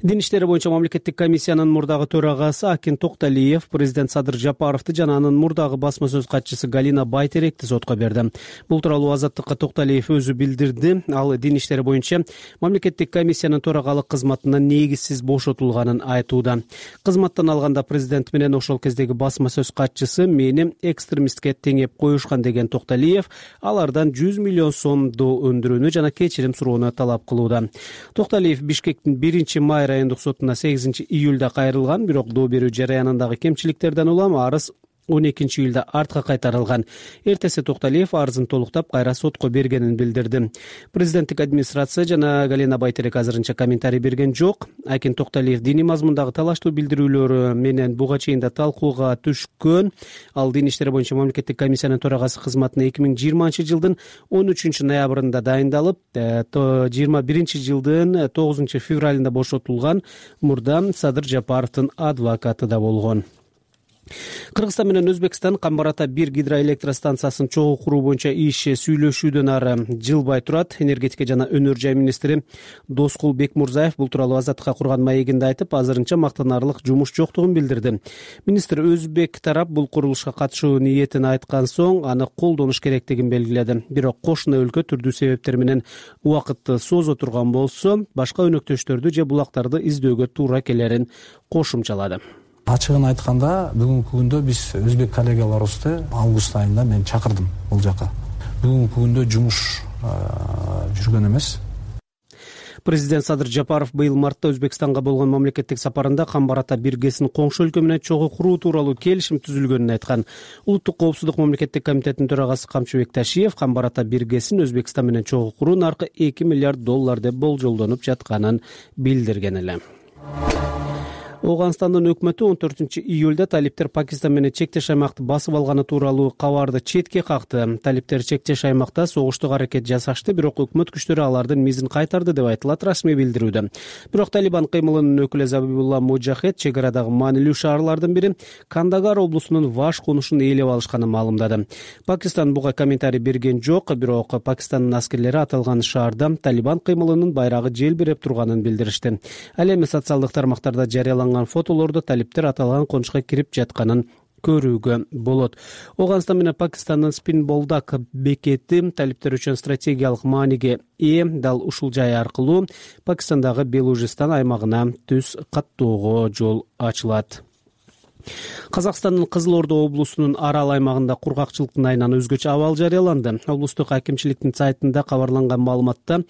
Дин иштери боюнча мамлекеттик комиссиянын мурдагы төрагасы Акин Токталиев президент Садыр Жапаровду жана анын мурдагы басма сөз катчысы Галина Байтеректи сотко берди. Бул тууралуу Азаттыкка Токталиев өзү билдирди. Ал дин иштери боюнча мамлекеттик комиссиянын төрагалык кызматынан негизсиз бошотулганын айтууда. Кызматтан алганда президент менен ошол кездеги басма сөз катчысы мени экстремистке теңеп коюшкан деген Токталиев алардан 100 миллион сомду өндүрүүнү жана кечирим суроону талап кылууда. Токталиев Бишкектин 1-май райондук сотуна 8-июлда кайрылган, бирок доо берүү жараянындагы кемчиликтерден улам арыз 12-июлда артка кайтарылган. Эртеси Токталиев арызын толуктап кайра сотко бергенин билдирди. Президенттик администрация жана Галина Байтерек азырынча комментарий берген жок. Акин Токталиев диний мазмундагы талаштуу билдирүүлөрү менен буга чейин да талкууга түшкөн. Ал дин иштери боюнча мамлекеттик комиссиянын төрагасы кызматына 2020-жылдын 13-ноябрында дайындалып, 21-жылдын 9-февралында бошотулган. Мурда Садыр Жапаровдун адвокаты да болгон. Кыргызстан менен Өзбекстан Камбар ата 1 гидроэлектростанциясын чогуу куруу боюнча иш сүйлөшүүдөн ары жылбай турат. Энергетика жана өнөр жай министри Доскул Бекмурзаев бул тууралуу Азаттыкка курган маегинде айтып, азырынча мактанарлык жумуш жоктугун билдирди. Министр өзбек тарап бул курулушка катышуу ниетин айткан соң аны колдонуш керектигин белгиледи. Бирок кошуна өлкө түрдүү себептер менен убакытты созо турган болсо, башка өнөктөштөрдү же булактарды издөөгө туура келерин кошумчалады. Ачыгын айтканда, бүгүнкү күндө биз өзбек коллегаларыбызды август айында мен чакырдым бул жака. Бүгүнкү күндө жумуш жүргөн эмес. Президент Садыр Жапаров быйыл мартта Өзбекстанга болгон мамлекеттик сапарында Камбар ата 1 ГЭСин коңшу өлкө менен чогуу куруу тууралуу келишим түзүлгөнүн айткан. Улуттук коопсуздук мамлекеттик комитетинин төрагасы Камчыбек Ташиев Камбар ата 1 ГЭСин Өзбекстан менен чогуу куруу наркы $2 миллиард деп болжолдонуп жатканын билдирген эле. Ооганстандын өкмөтү 14-июлда талиптер Пакистан менен чектеш аймакты басып алганы тууралуу кабарды четке какты. Талиптер чектеш аймакта согуштук аракет жасашты, бирок өкмөт күчтөрү алардын мизин кайтарды деп айтылат расмий билдирүүдө. Бирок Талибан кыймылынын өкүлү Забибулла Муджахед чек арадагы маанилүү шаарлардын бири Кандагар облусунун Ваш конушун ээлеп алышканын маалымдады. Пакистан буга комментарий берген жок, бирок Пакистандын аскерлери аталган шаарда Талибан кыймылынын байрагы желбиреп турганын билдиришти. Ал эми социалдык тармактарда жарыяланган фотолордо талиптер аталган конушка кирип жатканын көрүүгө болот. Ооганстан менен Пакистандын Спинболдак бекети талиптер үчүн стратегиялык мааниге ээ. Дал ушул жай аркылуу Пакистандагы Белужистан аймагына түз каттоого жол ачылат. Казакстандын Кызыл Ордо облусунун Арал аймагында кургакчылыктын айынан өзгөчө абал жарыяланды. Облустук акимчиликтин сайтында кабарланган маалыматта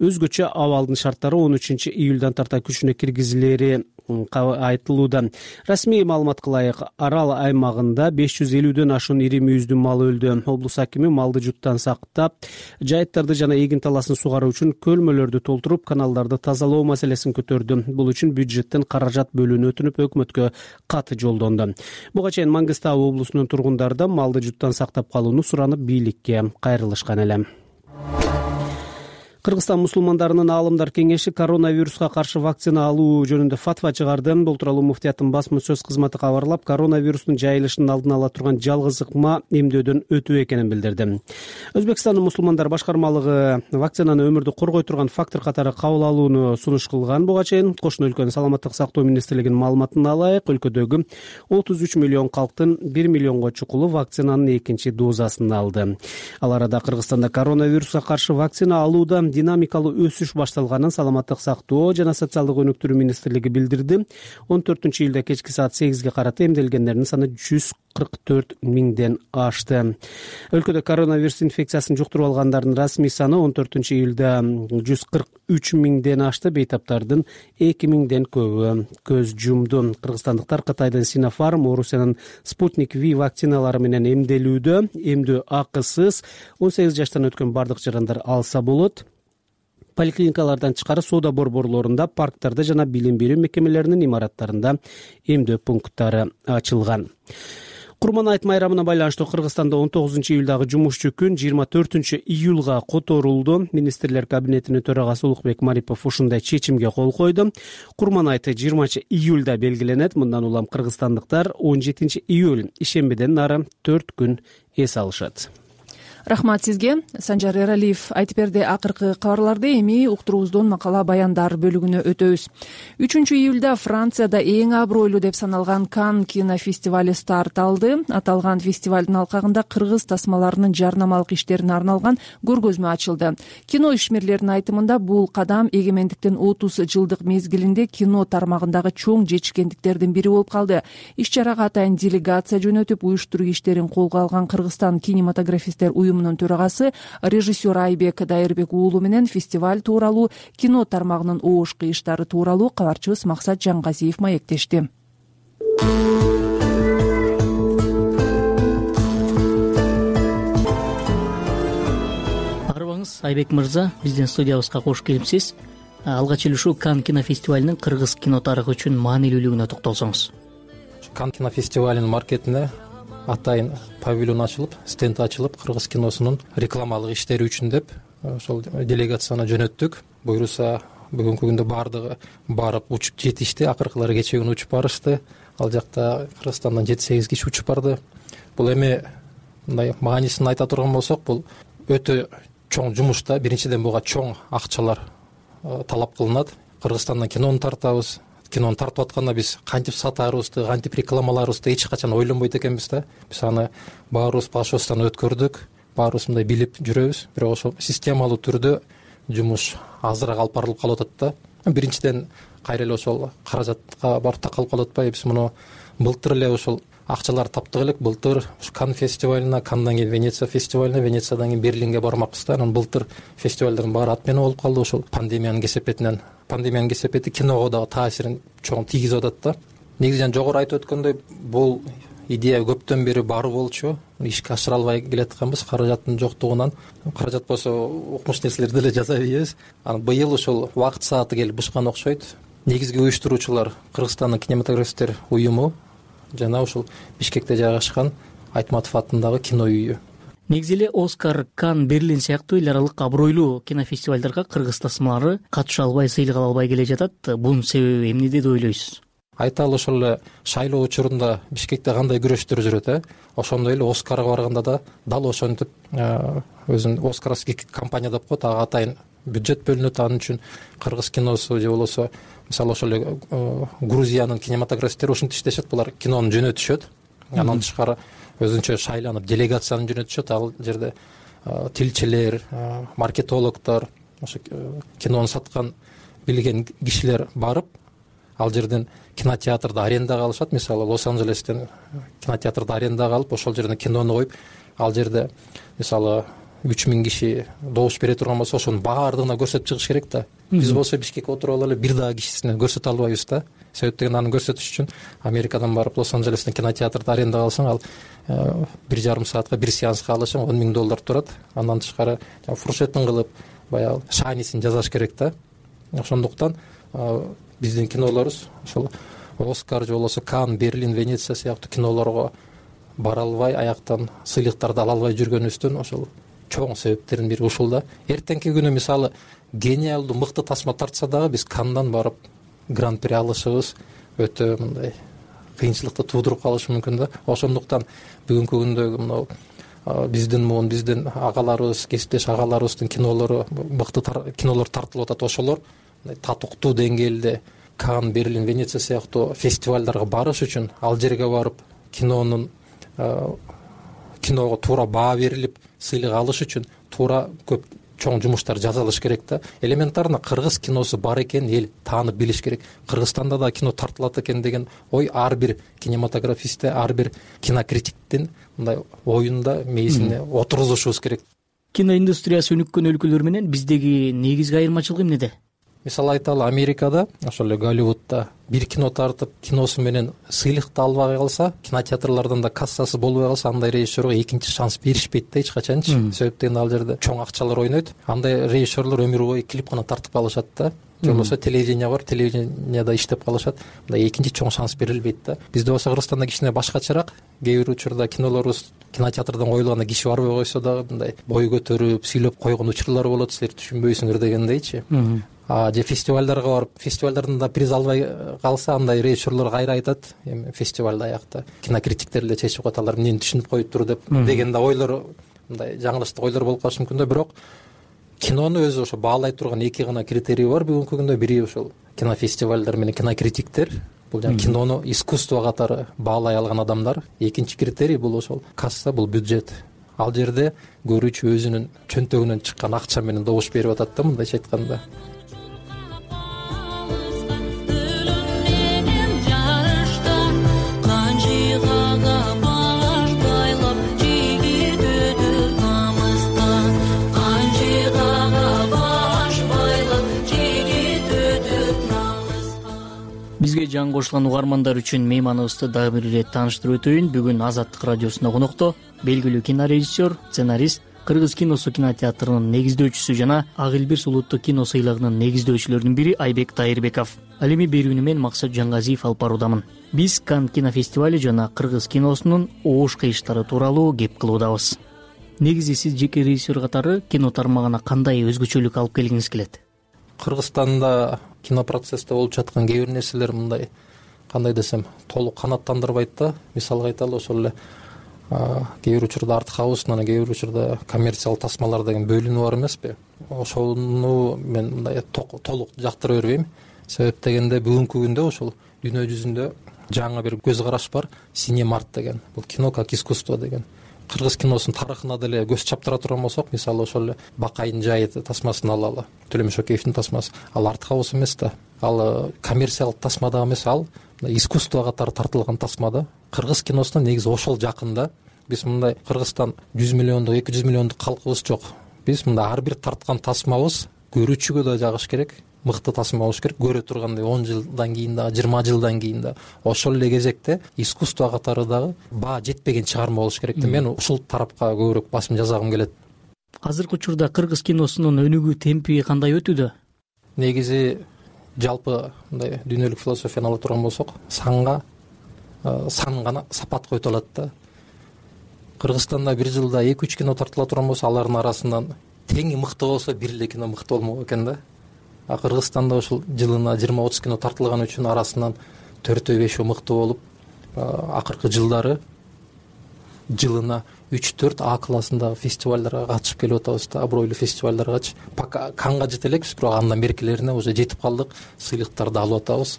өзгөчө абалдын шарттары 13-июлдан тарта күчүнө киргизилери айтылууда. Расмий маалыматка ылайык Арал аймагында 550дөн ашуун ири мүйүздүү мал өлдү. Облус акими малды жуттан сактап, жайыттарды жана эгин таласын сугаруу үчүн көлмөлөрдү толтуруп, каналдарды тазалоо маселесин көтөрдү. Бул үчүн бюджеттен каражат бөлүүнү өтүнүп өкмөткө кат жолдонду. Буга чейин Мангистау облусунун тургундары малды жуттан сактап калууну суранып бийликке кайрылышкан эле. Кыргызстан мусулмандарынын аалымдар кеңеши коронавируска каршы вакцина алуу жөнүндө фатва чыгарды. Бул тууралуу муфтияттын басма сөз кызматы кабарлап, коронавирустун жайылышын алдын ала турган жалгыз ыкма эмдөөдөн өтүү экенин билдирди. Өзбекстандын мусулмандар башкармалыгы вакцинаны өмүрдү коргой турган фактор катары кабыл алууну сунуш кылган. Буга чейин кошуна өлкөнүн саламаттык сактоо министрлигинин маалыматына ылайык, өлкөдөгү 33 миллион калктын 1 миллионго чукулу вакцинанын экинчи дозасын алды. Ал арада Кыргызстанда коронавируска каршы вакцина алууда динамикалуу өсүш башталганын Саламаттык сактоо жана социалдык өнүктүрүү министрлиги билдирди. 14-июлда кечки саат 8ге карата эмделгендердин саны 144 миңден ашты. Өлкөдө коронавирус инфекциясын жуктуруп алгандардын расмий саны 14-июлда 143 миңден ашты. Бейтаптардын 2 миңден көбү көз жумду. Кыргызстандыктар Кытайдын Синофарм, Орусиянын Спутник V вакциналары менен эмделүүдө. Эмдөө акысыз, 18 жаштан өткөн бардык жарандар алса болот. Поликлиникалардан тышкары соода борборлорунда, парктарда жана билим берүү мекемелеринин имараттарында эмдөө пункттары ачылган. Курман айт майрамына байланыштуу Кыргызстанда 19-июлдагы жумушчу күн 24-июлга которулду. Министрлер кабинетинин төрагасы Улукбек Марипов ушундай чечимге кол койду. Курман айты 20-июлда белгиленет. Мындан улам кыргызстандыктар 17-июль ишембиден нары 4 күн эс алышат. Рахмат сизге. Санжар Эралиев айтып берди. Акыркы кабарларды эми уктуруубуздун макала баяндар бөлүгүнө өтөбүз. 3-июлда Францияда эң абройлуу деп саналган Кан кинофестивали старт алды. Аталган фестивалдын алкагында кыргыз тасмаларынын жарнамалык иштерине арналган көргөзмө ачылды. Кино ишмерлеринин айтымында бул кадам эгемендиктин 30 жылдык мезгилинде кино тармагындагы чоң жетишкендиктердин бири болуп калды. Иш-чарага атайын делегация жөнөтүп, уюштуруу иштерин колго алган Кыргызстан кинематографисттер уюмунун төрагасы режиссер Айбек Дайырбек уулу менен фестиваль тууралуу, кино тармагынын оош кыйыштары тууралуу кабарчыбыз Максат Жангазиев маектешти. Арыбаңыз Айбек мырза, биздин студиябызга кош келипсиз. Алгач эле ушул Кан кинофестивалинин кыргыз кино тарыхы үчүн маанилүүлүгүнө токтолсоңуз. Кан кинофестивалинин маркетине атайын павильон ачылып, стенд ачылып, кыргыз киносунун рекламалык иштери үчүн деп ошол делегацияны жөнөттүк. Буюрса бүгүнкү күндө бардыгы барып учуп жетишти. Акыркылары кечээ күнү учуп барышты. Ал жакта Кыргызстандан 7-8 киши учуп барды. Бул эми мындай маанисин айта турган болсок, бул өтө чоң жумуш да. Биринчиден буга чоң акчалар талап кылынат. Кыргызстандан кинону тартабыз. Кинону тартып атканда биз кантип сатаарыбызды, кантип рекламаларыбызды эч качан ойлонбойт экенбиз да. Биз аны баарыбыз башыбыздан өткөрдүк, баарыбыз мындай билип жүрөбүз. Бирок ошо системалуу түрдө жумуш азыраак алып барылып калып атат да. Биринчиден кайра эле ошол каражатка барып такалып калып атпайбы? Биз муну былтыр эле ошол акчалар таптык элек. Былтыр Кан фестивалына, Кандан кийин Венеция фестивалына, Венециядан кийин Берлинге бармакпыз да. Анан былтыр фестивалдардын баары отмена болуп калды ошол пандемиянын кесепетинен. Пандемиянын кесепети киного дагы таасирин чоң тийгизип атат да. Негизи жана жогору айтып өткөндөй, бул идея көптөн бери бар болчу. Ишке ашыра албай келатканбыз каражаттын жоктугунан. Каражат болсо укмуш нерселерди деле жасай беребиз. Анан быйыл ошол убакыт сааты келип бышкан окшойт. негизги уюштуруучулар Кыргызстандын кинематографисттер уюму жана ушул Бишкекте жайгашкан Айтматов атындагы кино үйү. Негизи эле Оскар, Кан, Берлин сыяктуу эл аралык абройлуу кинофестивалдарга кыргыз тасмалары катыша албай, сыйлык ала албай келе жатат. Бунун себеби эмнеде деп ойлойсуз? Айталы ошол эле шайлоо учурунда Бишкекте кандай күрөштөр жүрөт, ошондой эле Оскарга барганда да дал ошентип өзүнүн Оскаровский компания деп коет, ага атайын бюджет бөлүнөт. Анын үчүн кыргыз киносу же болбосо мисалы ошол эле Грузиянын кинематографисттери ушинтип иштешет, булар кинону жөнөтүшөт. Андан тышкары өзүнчө шайланып делегацияны жөнөтүшөт. Ал жерде тилчилер, маркетологдор, ошо кинону саткан билген кишилер барып, ал жерден кинотеатрды арендага алышат. Мисалы Лос-Анджелестен кинотеатрды арендага алып, ошол жерден кинону коюп, ал жерде мисалы 3000 киши добуш бере турган болсо, ошонун баардыгына көрсөтүп чыгыш керек да. Биз болсо Бишкекке отуруп алып эле бир дагы кишисине көрсөтө албайбыз да. Себеп деген аны көрсөтүш үчүн Америкадан барып Лос-Анджелестен кинотеатрды арендага алсаң, ал 1,5 саатка бир сеанска алышың $10,000 турат. Андан тышкары фуршетин кылып, баягы шанисин жасаш керек да. Ошондуктан биздин кинолорубуз ошол Оскар же болбосо Кан, Берлин, Венеция сыяктуу кинолорго бара албай, аяктан сыйлыктарды ала албай жүргөнүбүздүн ошол чоң себептердин бири ушул да. Эртеңки күнү мисалы гениалдуу мыкты тасма тартса дагы биз Кандан барып гран-при алышыбыз өтө мындай кыйынчылыкты туудуруп калышы мүмкүн да. Ошондуктан бүгүнкү күндөгү мына биздин агаларыбыз, кесиптеш агаларыбыздын кинолору, мыкты кинолор тартылып атат. Ошолор татыктуу деңгээлде Кан, Берлин, Венеция сыяктуу фестивалдарга барыш үчүн ал жерге барып киного туура баа берилип сыйлык алыш үчүн туура көп чоң жумуштар жасалыш керек да. Элементарно кыргыз киносу бар экенин эл таанып билиш керек. Кыргызстанда да кино тартылат экен деген ой ар бир кинематографистте, ар бир кинокритиктин мындай оюнда, мээсине отургузушубуз керек. Киноиндустриясы өнүккөн өлкөлөр менен биздеги негизги айырмачылык эмнеде? Мисалы айталы, Америкада, ошол эле Голливудда бир кино тартып, киносу менен сыйлыкты албай калса, кинотеатрлардан да кассасы болбой калса, андай режиссерге экинчи шанс беришпейт да эч качанчы. Себеп деген ал жерде чоң акчалар ойнойт. Андай режиссерлор өмүр бою клип гана тартып калышат да. Же болбосо телевидение бар, телевидениеда иштеп калышат. Мындай экинчи чоң шанс берилбейт да. Бизде болсо Кыргызстанда кичине башкачараак. Кээ бир учурда кинолорубуз кинотеатрдан коюлганда киши барбай койсо дагы мындай бой көтөрүп, сүйлөп койгон учурлар болот, силер түшүнбөйсүңөр дегендейчи. Же фестивалдарга барып, фестивалдардан да приз албай калса, андай режиссерлор кайра айтат, эми фестивалда аякта кинокритиктер эле чечип коет, алар эмнени түшүнүп коюптур деп деген да ойлор, мындай жаңылыштык ойлор болуп калышы мүмкүн да. Бирок кинону өзү ошо баалай турган эки гана критерий бар бүгүнкү күндө. Бири ошол кинофестивалдар менен кинокритиктер, бул жана кинону искусство катары баалай алган адамдар. Экинчи критерий бул ошол касса, бул бюджет. Ал жерде көрүүчү өзүнүн чөнтөгүнөн чыккан акча менен добуш берип атат да, мындайча айтканда. Бизге жаңы кошулган угармандар үчүн мейманыбызды дагы бир ирет тааныштырып өтөйүн. Бүгүн Азаттык радиосунда конокто белгилүү кинорежиссер, сценарист, Кыргыз киносу кинотеатрынын негиздөөчүсү жана Ак Элбирс улуттук кино сыйлыгынын негиздөөчүлөрүнүн бири Айбек Тайырбеков. Ал эми берүүнү мен Максат Жангазиев алып баруудамын. Биз Кан кинофестивали жана кыргыз киносунун оош кыйыштары тууралуу кеп кылуудабыз. Негизи сиз жеке режиссер катары кино тармагына кандай өзгөчөлүк алып келгиңиз келет? Кыргызстанда кино процессте болуп жаткан кээ бир нерселер мындай, кандай десем, толук канааттандырбайт да. Мисалга айталы, ошол эле кээ бир учурда артхаус, анан кээ бир учурда коммерциялык тасмалар деген бөлүнүү бар эмеспи? Ошону мен мындай толук жактыра бербейм. Себеп дегенде бүгүнкү күндө ошол дүйнө жүзүндө жаңы бир көз караш бар, Синемарт деген. Бул кино как искусство деген. Кыргыз киносунун тарыхына деле көз чаптыра турган болсок, мисалы ошол эле Бакайдын жайы тасмасын алалы, Төлөмөш Океевдин тасмасы. Ал артхаус эмес да. Ал коммерциялык тасма да эмес, ал искусство катары тартылган тасма да. Кыргыз киносуна негизи ошол жакын да. Биз мындай Кыргызстан 100 миллиондук, 200 миллиондук калкыбыз жок. Биз мындай ар бир тарткан тасмабыз көрүүчүгө да жагыш керек. Мыкты тасма болуш керек. Көрө тургандай 10 жылдан кийин да, 20 жылдан кийин да ошол эле кезекте искусство катары дагы баа жетпеген чыгарма болуш керек да. Мен ушул тарапка көбүрөөк басым жасагым келет. Азыркы учурда кыргыз киносунун өнүгүү темпи кандай өтүүдө? Негизи жалпы мындай дүйнөлүк философияны ала турган болсок, сан гана сапат който алат да. Кыргызстанда бир жылда 2-3 кино тартыла турган болсо, алардын арасынан теңи мыкты болсо бир эле кино мыкты болмок экен да. А Кыргызстанда ушул жылына 20-30 кино тартылган үчүн арасынан 4-5 мыкты болуп, акыркы жылдары жылына 3-4 А классындагы фестивалдарга катышып келип атабыз да, абройлуу фестивалдарга. Пока Канга жете элекпиз, бирок андан беркилерине уже жетип калдык, сыйлыктарды алып атабыз,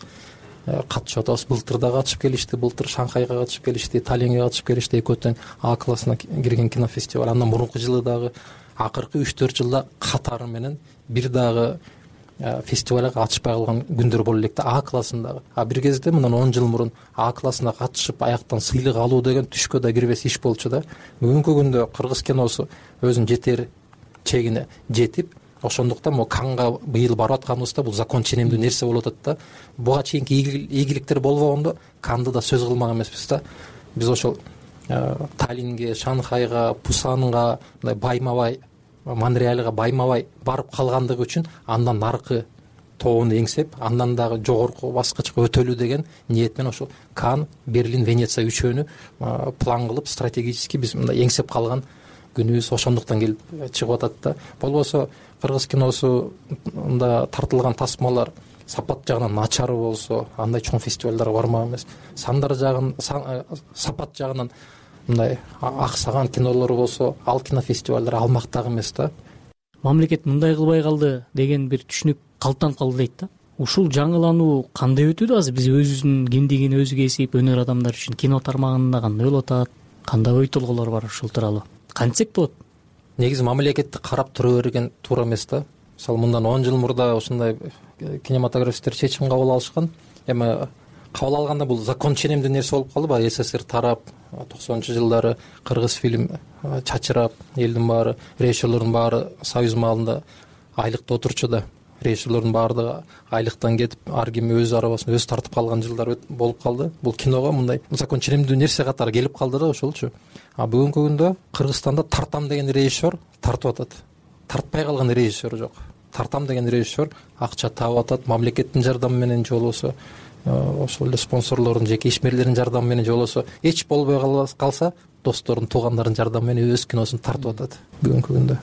катышып атабыз. Былтыр да катышып келишти, былтыр Шанхайга катышып келишти, Таллинге катышып келишти, экөө тең А классына кирген кинофестиваль. Андан мурунку жылы дагы акыркы 3-4 жылда катары менен бир дагы фестивалга катышпай калган күндөр боло электи А классындагы. А бир кезде мындан 10 жыл мурун А классына катышып аяктан сыйлык алуу деген түшкө да кирбес иш болчу да. Бүгүнкү күндө кыргыз киносу өзүнүн жетер чегине жетип, ошондуктан могу Канга быйыл барып атканыбызда бул закон ченемдүү нерсе болуп атат да. Буга чейинки ийгиликтер болбогондо Канды да сөз кылмак эмеспиз да. Биз ошол Таллинге, Шанхайга, Пусанга, мындай байма-бай, Монреальга байма-бай барып калгандыгы үчүн андан наркы тобуну эңсеп, андан дагы жогорку баскычка өтөлүү деген ниет менен ошол Кан, Берлин, Венеция үчөөнү план кылып, стратегически биз мындай эңсеп калган күнүбүз ошондуктан келип чыгып атат да. Болбосо кыргыз киносунда тартылган тасмалар сапат жагынан начары болсо, андай чоң фестивалдарга бармак эмес. Сапат жагынан мындай аксаган кинолор болсо, ал кинофестивалдар алмактагы эмес да. Мамлекет мындай кылбай калды деген бир түшүнүк калыптанып калды дейт да. Ушул жаңылануу кандай өтүүдө азыр? Биз өзүбүздүн кимдигин өзүгө эсейип, өнөр адамдары үчүн кино тармагында кандай болуп атат? Кандай ой толгоолор бар ушул тууралуу? Кантсек болот? Негизи мамлекетти карап тура берген туура эмес да. Мисалы мындан 10 жыл мурда ушундай кинематографисттер чечим кабыл алышкан. Эми кабыл алганда бул закон ченемдүү нерсе болуп калды. Баягы СССР тарап, 90-жылдары кыргыз фильм чачырап, элдин баары, режиссерлордун баары Союз маалында айлыкта отурчу да. Режиссерлордун баардыгы айлыктан кетип, ар ким өз арабасын өзү тартып калган жылдар болуп калды. Бул киного мындай закон ченемдүү нерсе катары келип калды да ошолчу. А бүгүнкү күндө Кыргызстанда тартам деген режиссер тартып атат. Тартпай калган режиссер жок. Тартам деген режиссер акча таап атат, мамлекеттин жардамы менен же болбосо ошол эле спонсорлордун, жеке ишмерлердин жардамы менен же болбосо эч болбой калса достордун, туугандардын жардамы менен өз киносун тартып атат бүгүнкү күндө.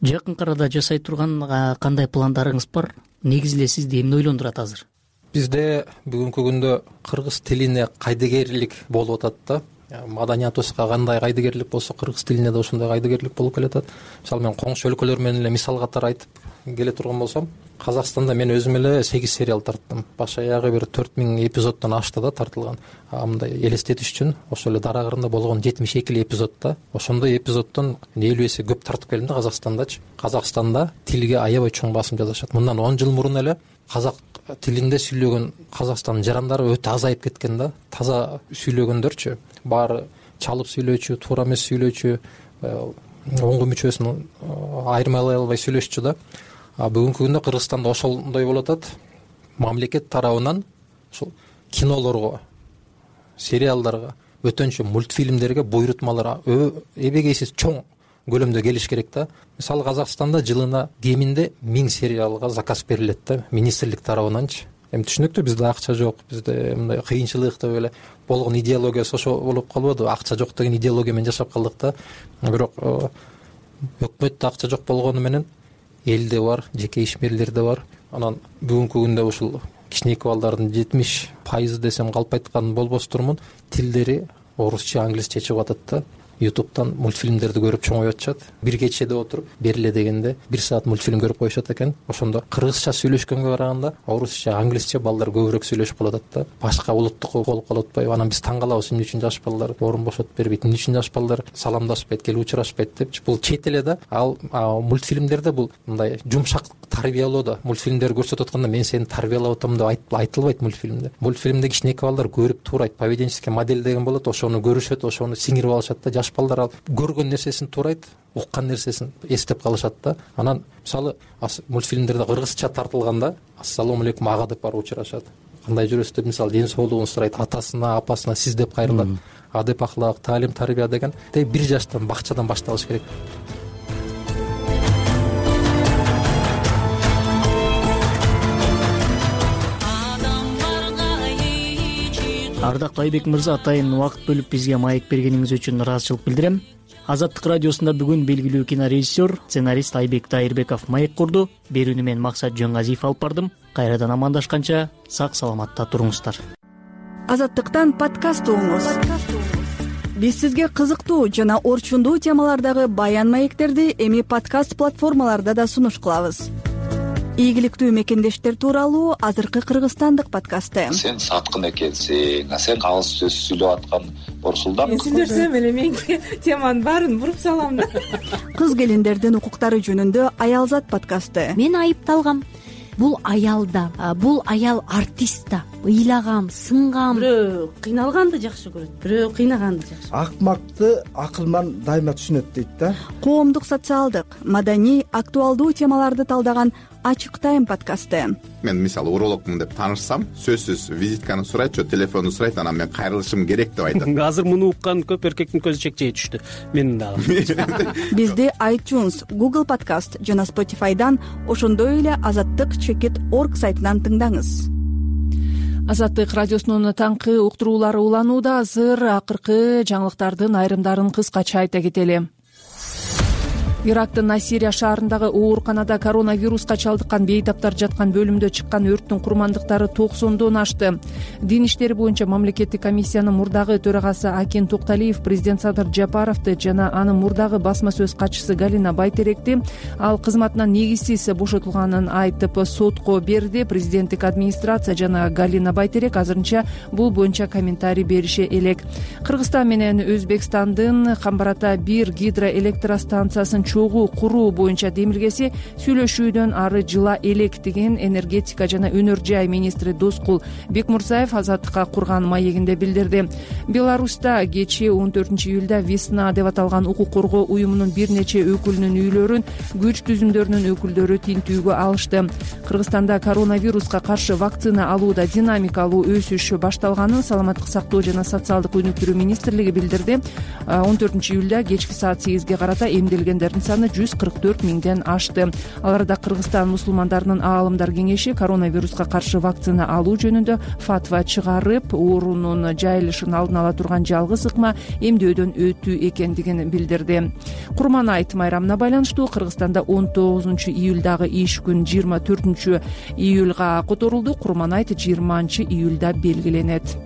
Жакын арада жасай турган кандай пландарыңыз бар? Негизи эле сизди эмне ойлондурат азыр? Бизде бүгүнкү күндө кыргыз тилине кайдыгерлик болуп атат да. Маданиятыбызга кандай кайдыгерлик болсо, кыргыз тилине да ошондой кайдыгерлик болуп келатат. Мисалы мен коңшу өлкөлөр менен эле мисал катары айтып келе турган болсом, Казакстанда мен өзүм эле 8 сериал тарттым. Баш аягы бир 4000 эпизоддон ашты да тартылган. Мындай элестетиш үчүн ошол эле Дара кырында болгон 72 эпизод да. Ошондой эпизоддон 50 эсе көп тартып келдим да Казакстандачы. Казакстанда тилге аябай чоң басым жасашат. Мындан 10 жыл мурун эле казак тилинде сүйлөгөн Казакстандын жарандары өтө азайып кеткен да. Таза сүйлөгөндөрчү, баары чалып сүйлөөчү, туура эмес сүйлөөчү, оңгу мүчөсүн айырмалай албай сүйлөшчү да. Бүгүнкү күндө Кыргызстанда ошондой болуп атат. Мамлекет тарабынан ушул кинолорго, сериалдарга, өтөнчү мультфильмдерге буйрутмалар эбегейсиз чоң көлөмдө келиш керек да. Мисалы Казакстанда жылына кеминде 1000 сериалга заказ берилет да, министрлик тарабынанчы. Эми түшүнүктүү, бизде акча жок, бизде мындай кыйынчылык деп эле болгон идеологиясы ошо болуп калбады. Акча жок деген идеология менен жашап калдык да. Бирок өкмөттө акча жок болгону менен элде бар, жеке ишмерлерде бар. Анан бүгүнкү күндө ушул кичинекей балдардын 70% десем калп айткан болбостурмун, тилдери орусча, англисче чыгып атат да. YouTube'дан мультфильмдерди көрүп чоңоюп атышат. Бир кечеде отуруп, бериле дегенде 1 саат мультфильм көрүп коюшат экен. Ошондо кыргызча сүйлөшкөнгө караганда орусча, англисче балдар көбүрөөк сүйлөшүп калат да. Башка улуттук болуп калып атпайбы? Анан биз таң калабыз, эмне үчүн жаш балдар орун бошотуп бербейт, эмне үчүн жаш балдар саламдашпайт, келип учурашпайт депчи. Бул чет эле да. Ал мультфильмдерде бул мындай жумшак тарбиялоо да. Мультфильмдер көрсөтүп атканда мен сени тарбиялап атам деп айтылбайт мультфильмде. Мультфильмде кичинекей балдар көрүп туурайт, поведенческий модель деген болот, ошону көрүшөт, ошону сиңирип алышат да. Жаш балдар ал көргөн нерсесин туурайт, уккан нерсесин эстеп калышат да. Анан мисалы мультфильмдерде кыргызча тартылганда ассалому алейкум ага деп барып учурашат. Кандай жүрөсүз деп мисалы ден соолугун сурайт, атасына, апасына сиз деп кайрылат. Адеп ахлак, таалим, тарбия деген 1 жаштан бакчадан башталыш керек. Ардактуу Айбек мырза, атайын убакыт бөлүп бизге маек бергениңиз үчүн ыраазычылык билдирем. Азаттык радиосунда бүгүн белгилүү кинорежиссер, сценарист Айбек Дайырбеков маек курду. Берүүнү мен Максат Жөнгазиев алып бардым. Кайрадан амандашканча сак саламатта туруңуздар. Азаттыктан подкаст угуңуз. Биз сизге кызыктуу жана орчундуу темалардагы баян маектерди эми подкаст платформаларда да сунуш кылабыз. Ийгиликтүү мекендештер тууралуу азыркы кыргызстандык подкасты. Сен саткын экенсиң, сен калыс сөз сүйлөп аткан Борсулдан. Мен сүйлөсөм эле меники теманын баарын буруп салам да. Кыз келиндердин укуктары жөнүндө Аялзат подкасты. Мен айыпталгам. Бул аял да, бул аял артист да. Ыйлагам, сынгам. Бирөө кыйналганды жакшы көрөт, бирөө кыйнаганды жакшы. Акмакты акылман дайыма түшүнөт дейт да. Коомдук, социалдык, маданий, актуалдуу темаларды талдаган Ачык тайм подкасты. Мен мисалы урологмун деп таанышсам, сөзсүз визитканы сурайт, телефонду сурайт, анан мен кайрылышым керек деп айтат. Азыр муну уккан көп эркектин көзү чекчейе түштү. Менин дагы. Бизди iTunes, Google Podcast жана Spotify'дан, ошондой эле azattik.org сайтынан тыңдаңыз. Азаттык радиосунун таңкы уктуруулары уланууда. Азыр акыркы жаңылыктардын айрымдарын кыскача айта кетели. Ирактын Насирия шаарындагы ооруканада коронавируска чалдыккан бейтаптар жаткан бөлүмдө чыккан өрттүн курмандыктары 90дон ашты. Дин иштери боюнча мамлекеттик комиссиянын мурдагы төрагасы Акен Токталиев президент Садыр Жапаровду жана анын мурдагы басма сөз катчысы Галина Байтеректи ал кызматынан негизсиз бошотулганын айтып сотко берди. Президенттик администрация жана Галина Байтерек азырынча бул боюнча комментарий берише элек. Кыргызстан менен Өзбекстандын Камбарата 1 гидроэлектростанциясын чогуу куруу боюнча демилгеси сүйлөшүүдөн ары жыла элек деген энергетика жана өнөр жай министри Доскул Бекмурзаев Азаттыкка курган маегинде билдирди. Беларуста кечээ 14-июлда Весна деп аталган укук коргоо уюмунун бир нече өкүлүнүн үйлөрүн күч түзүмдөрүнүн өкүлдөрү тинтүүгө алышты. Кыргызстанда коронавируска каршы вакцина алууда динамикалуу өсүш башталганын Саламаттык сактоо жана социалдык өнүктүрүү министрлиги билдирди. 14-июлда кечки саат 8ге карата эмделгендердин саны 144 миңден ашты. Аларда Кыргызстан мусулмандарынын аалымдар кеңеши коронавируска каршы вакцина алуу жөнүндө фатва чыгарып, оорунун жайылышын алдын ала турган жалгыз ыкма эмдөөдөн өтүү экендигин билдирди. Курманайт майрамына байланыштуу Кыргызстанда 19-июлдагы иш күн 24-июлга которулду. Курманайт 20-июлда белгиленет.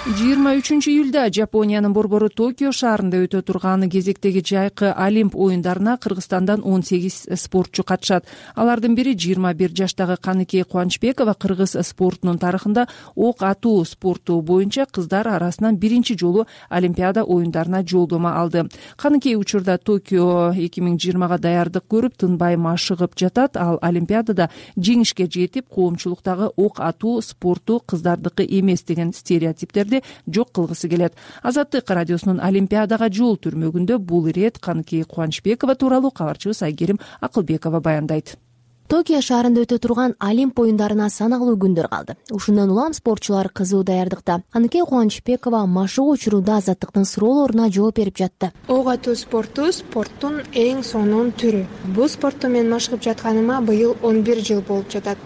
23-июлда Жапониянын борбору Токио шаарында өтө турган кезектеги жайкы Олимп оюндарына Кыргызстандан 18 спортчу катышат. Алардын бири 21 жаштагы Каныкей Кубанычбекова кыргыз спортунун тарыхында ок атуу спорту боюнча кыздар арасынан биринчи жолу Олимпиада оюндарына жолдомо алды. Каныкей учурда Токио 2020га даярдык көрүп, тынбай машыгып жатат. Ал Олимпиадада жеңишке жетип, коомчулуктагы ок атуу спорту кыздардыкы эмес деген стереотиптерди жок кылгысы келет. Азаттык радиосунун Олимпиадага жол түрмөгүндө бул ирет Каныкей Кубанычбекова тууралуу кабарчыбыз Айгерим Акылбекова баяндайт. Токио шаарында өтө турган Олимп оюндарына саналуу күндөр калды. Ушундан улам спортчулар кызуу даярдыкта. Каныкей Кубанычбекова машыгуу учурунда Азаттыктын суроолоруна жооп берип жатты. Ок атуу спорттун эң сонун түрү. Бул спортто мен машыгып жатканыма быйыл 11 жыл болуп жатат.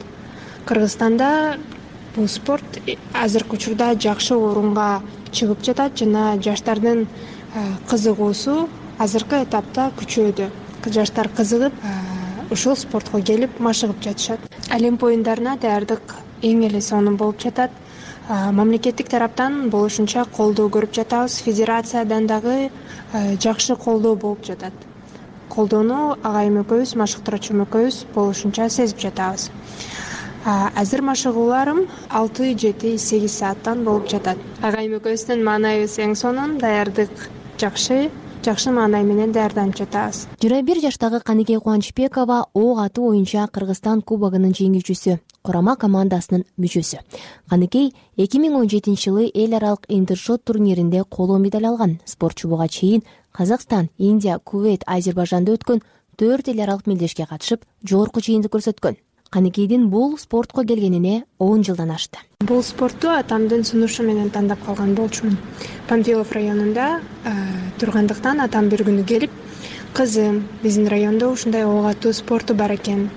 Кыргызстанда бул спорт азыркы учурда жакшы орунга чыгып жатат жана жаштардын кызыгуусу азыркы этапта күчөдү. Жаштар кызыгып, ушул спортко келип машыгып жатышат. Олимп оюндарына даярдык эң эле сонун болуп жатат. Мамлекеттик тараптан болушунча колдоо көрүп жатабыз. Федерациядан дагы жакшы колдоо болуп жатат. Колдоону агайым экөөбүз, машыктыруучум экөөбүз болушунча сезип жатабыз. Азыр машыгууларым 6-7-8 сааттан болуп жатат. Агайым экөөбүздүн маанайыбыз эң сонун, даярдык жакшы маанай менен даярданып жатабыз. 21 жаштагы Каныкей Кубанычбекова ок атуу боюнча Кыргызстан кубогунун жеңүүчүсү, курама командасынын мүчөсү. Каныкей 2017-жылы эл аралык интершот турниринде коло медаль алган. Спортчу буга чейин Казакстан, Индия, Кувейт, Азербайжанда өткөн 4 эл аралык мелдешке катышып, жогорку чейиндик көрсөткөн. Каныкейдин бул спортко келгенине 10 жылдан ашты. Бул спортту атамдын сунушу менен тандап калган болчумун. Панфилов районунда тургандыктан атам бир күнү келип, кызым, биздин райондо ушундай ок атуу спорту бар экен.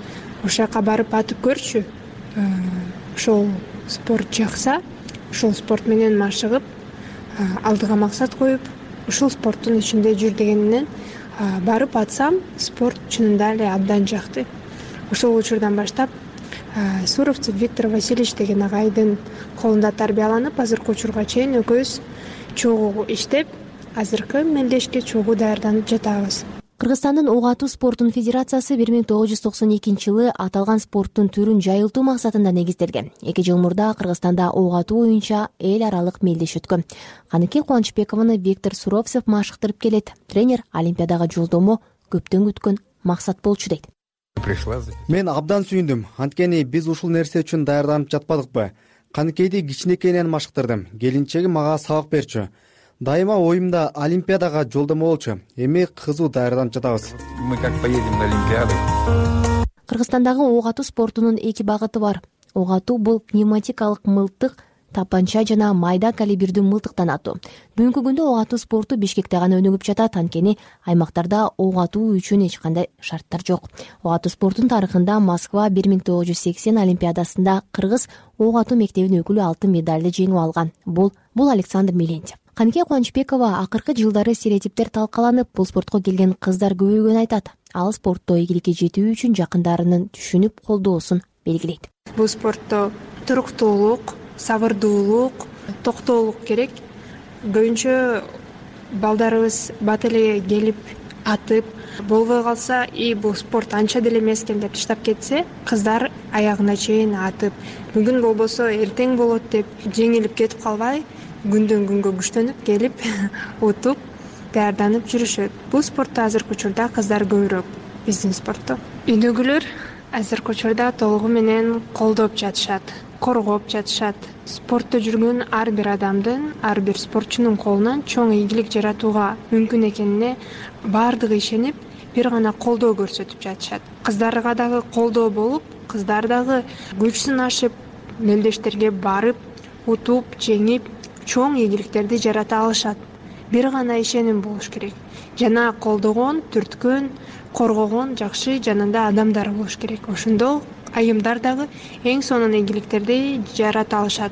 Ошол жака барып атып көрчү. ошол спорт жакса, ошол спорт менен машыгып, алдыга максат коюп, ушул спорттун ичинде жүр дегенинен барып атсам, спорт чынында эле абдан жакты. Ошол учурдан баштап Суровцев Виктор Васильевич деген агайдын колунда тарбияланып, азыркы учурга чейин экөөбүз чогуу иштеп, азыркы мелдешке чогуу даярданып жатабыз. Кыргызстандын ок атуу спортунун федерациясы 1992-жылы аталган спорттун түрүн жайылтуу максатында негизделген. 2 жыл мурда Кыргызстанда ок атуу боюнча эл аралык мелдеш өткөн. Каныкей Кубанычбекованы Виктор Суровцев машыктырып келет. Тренер Олимпиадага жолдомо көптөн күткөн максат болчу дейт. Мен абдан сүйүндүм. Анткени биз ушул нерсе үчүн даярданып жатпадыкпы? Каныкейди кичинекейинен машыктырдым. Келинчеги мага сабак берчү. Дайыма оюмда Олимпиадага жолдомо болчу. Эми кызуу даярданып жатабыз. Мы как поедем на Олимпиаду. Кыргызстандагы ок атуу спортунун 2 багыты бар. Ок атуу бул пневматикалык мылтык, тапанча жана майда калибрдүү мылтыктан атуу. Бүгүнкү күндө ок атуу спорту Бишкекте гана өнүгүп жатат, анткени аймактарда ок атуу үчүн эч кандай шарттар жок. Ок атуу спортунун тарыхында Москва 1980 Олимпиадасында кыргыз ок атуу мектебинин өкүлү алтын медалды жеңип алган. Бул Александр Милентьев. Каныкей Кубанычбекова акыркы жылдары стереотиптер талкаланып, бул спортко келген кыздар көбөйгөнүн айтат. Ал спортто ийгиликке жетүү үчүн жакындарынын түшүнүп колдоосун белгилейт. Бул спортто туруктуулук, сабырдуулук, токтоолук керек. Көбүнчө балдарыбыз бат эле келип атып, болбой калса, бул спорт анча деле эмес экен деп таштап кетсе, кыздар аягына чейин атып, бүгүн болбосо эртең болот деп жеңилип кетип калбай, күндөн күнгө күчтөнүп келип утуп, даярданып жүрүшөт. Бул спортто азыркы учурда кыздар көбүрөөк биздин спортто. Үйдөгүлөр азыркы учурда толугу менен колдоп жатышат, коргоп жатышат. Спортто жүргөн ар бир адамдын, ар бир спортчунун колунан чоң ийгилик жаратууга мүмкүн экенине баардыгы ишенип, бир гана колдоо көрсөтүп жатышат. Кыздарга дагы колдоо болуп, кыздар дагы күч сынашып, мелдештерге барып, утуп, жеңип, чоң ийгиликтерди жарата алышат. Бир гана ишеним болуш керек. Жана колдогон, түрткөн, коргогон жакшы жанында адамдар болуш керек. Ошондо айымдар дагы эң сонун ийгиликтерди жарата алышат.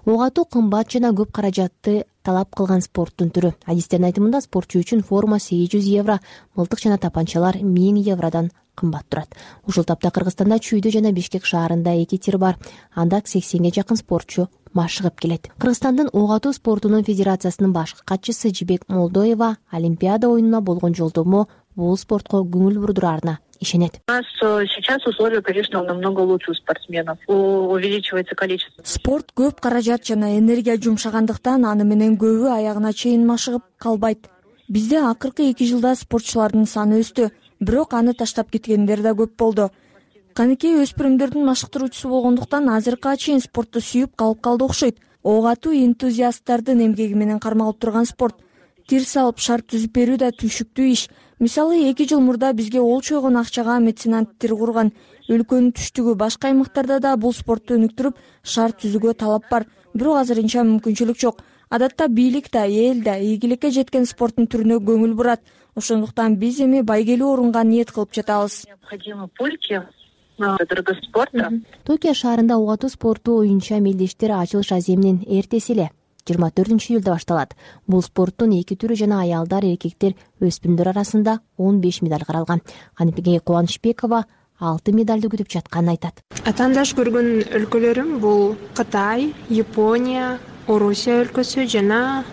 Ок атуу кымбат жана көп каражатты талап кылган спорттун түрү. Адистердин айтымында спортчу үчүн форма 800 евро, мылтык жана тапанчалар 1000 евродон кымбат турат. Ушул тапта Кыргызстанда Чүйдө жана Бишкек шаарында 2 тир бар. Анда 80ге жакын спортчу машыгып келет. Кыргызстандын ок атуу спортунун федерациясынын башкы катчысы Жибек Молдоева Олимпиада оюнуна болгон жолдомо бул спортко көңүл бурдурарына ишенет. У нас сейчас условия, конечно, намного лучше у спортсменов. Увеличивается количество. Спорт көп каражат жана энергия жумшагандыктан аны менен көбү аягына чейин машыгып калбайт. Бизде акыркы 2 жылда спортчулардын саны өстү, бирок аны таштап кеткендер да көп болду. Каныкей өспүрүмдөрдүн машыктыруучусу болгондуктан азыркыга чейин спортду сүйүп калып калды окшойт. Ок атуу энтузиасттардын эмгеги менен кармалып турган спорт. Тир салып шарт түзүп берүү да түшүктүү иш. Мисалы 2 жыл мурда бизге ол чойгон акчага меценат тир курган. Өлкөнүн түштүгү башка аймактарда да бул спортту өнүктүрүп, шарт түзүүгө талап бар. Бирок азырынча мүмкүнчүлүк жок. Адатта бийлик да, эл да ийгиликке жеткен спорттун түрүнө көңүл бурат. Ошондуктан биз эми байгелүү орунга ниет кылып жатабыз. Токио шаарында ок атуу спорту оюнча мелдештер ачылыш аземинин эртеси эле 24-июлда башталат. Бул спорттун 2 түрү жана аялдар, эркектер, өспүрүмдөр арасында 15 медаль каралган. Каныкей Кубанычбекова алтын медалды күтүп жатканын айтат. Атаандаш көргөн өлкөлөрүм бул Кытай, Япония, Орусия өлкөсү жана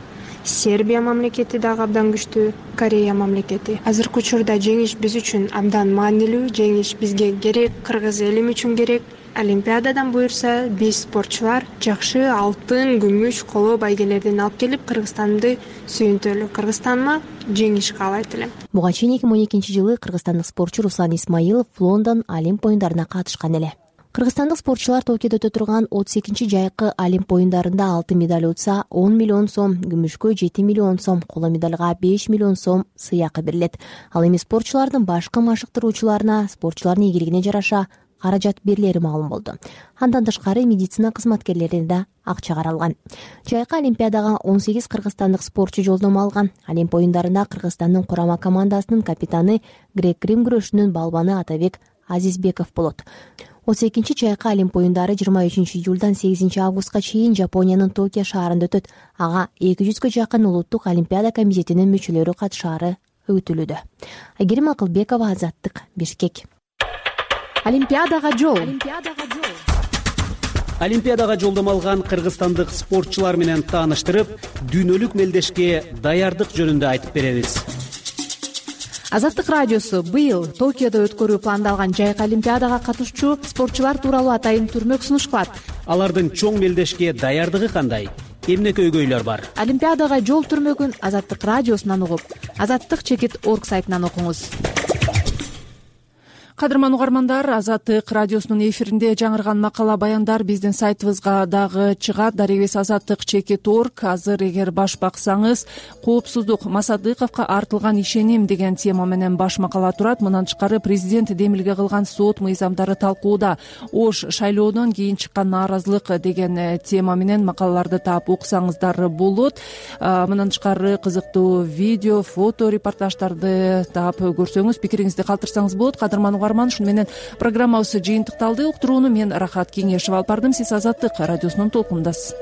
Сербия мамлекети дагы абдан күчтүү, Корея мамлекети. Азыркы учурда жеңиш биз үчүн абдан маанилүү, жеңиш бизге керек, кыргыз элим үчүн керек. Олимпиададан буюрса, биз спортчулар жакшы алтын, күмүш, коло байгелерден алып келип, Кыргызстанды сүйүнтөлү. Кыргызстанга жеңиш каалайт элем. Буга чейин 2012-жылы кыргызстандык спортчу Руслан Исмаилов Лондон Олимп оюндарына катышкан эле. Кыргызстандык спортчулар Токиодо өтө турган 32-чи жайкы Олимп оюндарында алтын медаль утса 10 миллион сом, күмүшкө 7 миллион сом, коло медальга 5 миллион сом сыйакы берилет. Ал эми спортчулардын башкы машыктыруучуларына спортчулардын ийгилигине жараша каражат берилери маалым болду. Андан тышкары медицина кызматкерлерине да акча каралган. Жайкы Олимпиадага 18 кыргызстандык спортчу жолдомо алган. Олимп оюндарында Кыргызстандын курама командасынын капитаны грек-рим күрөшүнүн балбаны Атабек Азизбеков болот. 32 чайкы Олимп оюндары 23 июлдан 8 августка чейин Жапониянын Токио шаарында өтөт. Ага 200гө жакын улуттук олимпиада комитетинин мүчөлөрү катышаары күтүлүүдө. Айгерим Акылбекова, Азаттык, Бишкек. Олимпиадага жол. Олимпиадага жолдомо алган кыргызстандык спортчулар менен тааныштырып, дүйнөлүк мелдешке даярдык жөнүндө айтып беребиз. Азаттык радиосу быйыл Токиодо өткөрүү пландалган жайкы олимпиадага катышчу спортчулар тууралуу атайын түрмөк сунуш кылат. Алардын чоң мелдешке даярдыгы кандай? Эмне көйгөйлөр бар? Олимпиадага жол түрмөгүн Азаттык радиосунан угуп, azattik.org сайтынан окуңуз. Кадырман угармандар, Азаттык радиосунун эфиринде жаңырган макала баяндар биздин сайтыбызга дагы чыгат. Дарегибиз azattik.org. Азыр эгер баш баксаңыз, коопсуздук Масадыковго артылган ишеним деген тема менен баш макала турат. Мындан тышкары президент демилге кылган сот мыйзамдары талкууда. Ош шайлоодон кийин чыккан нааразылык деген тема менен макалаларды таап окусаңыздар болот. Мындан тышкары кызыктуу видео, фото репортаждарды таап көрсөңүз, пикириңизди калтырсаңыз болот. Кадырман шуну менен программабыз жыйынтыкталды. Уктурууну мен Рахат Кеңешева алып бардым. Сиз Азаттык радиосунун толкунундасыз.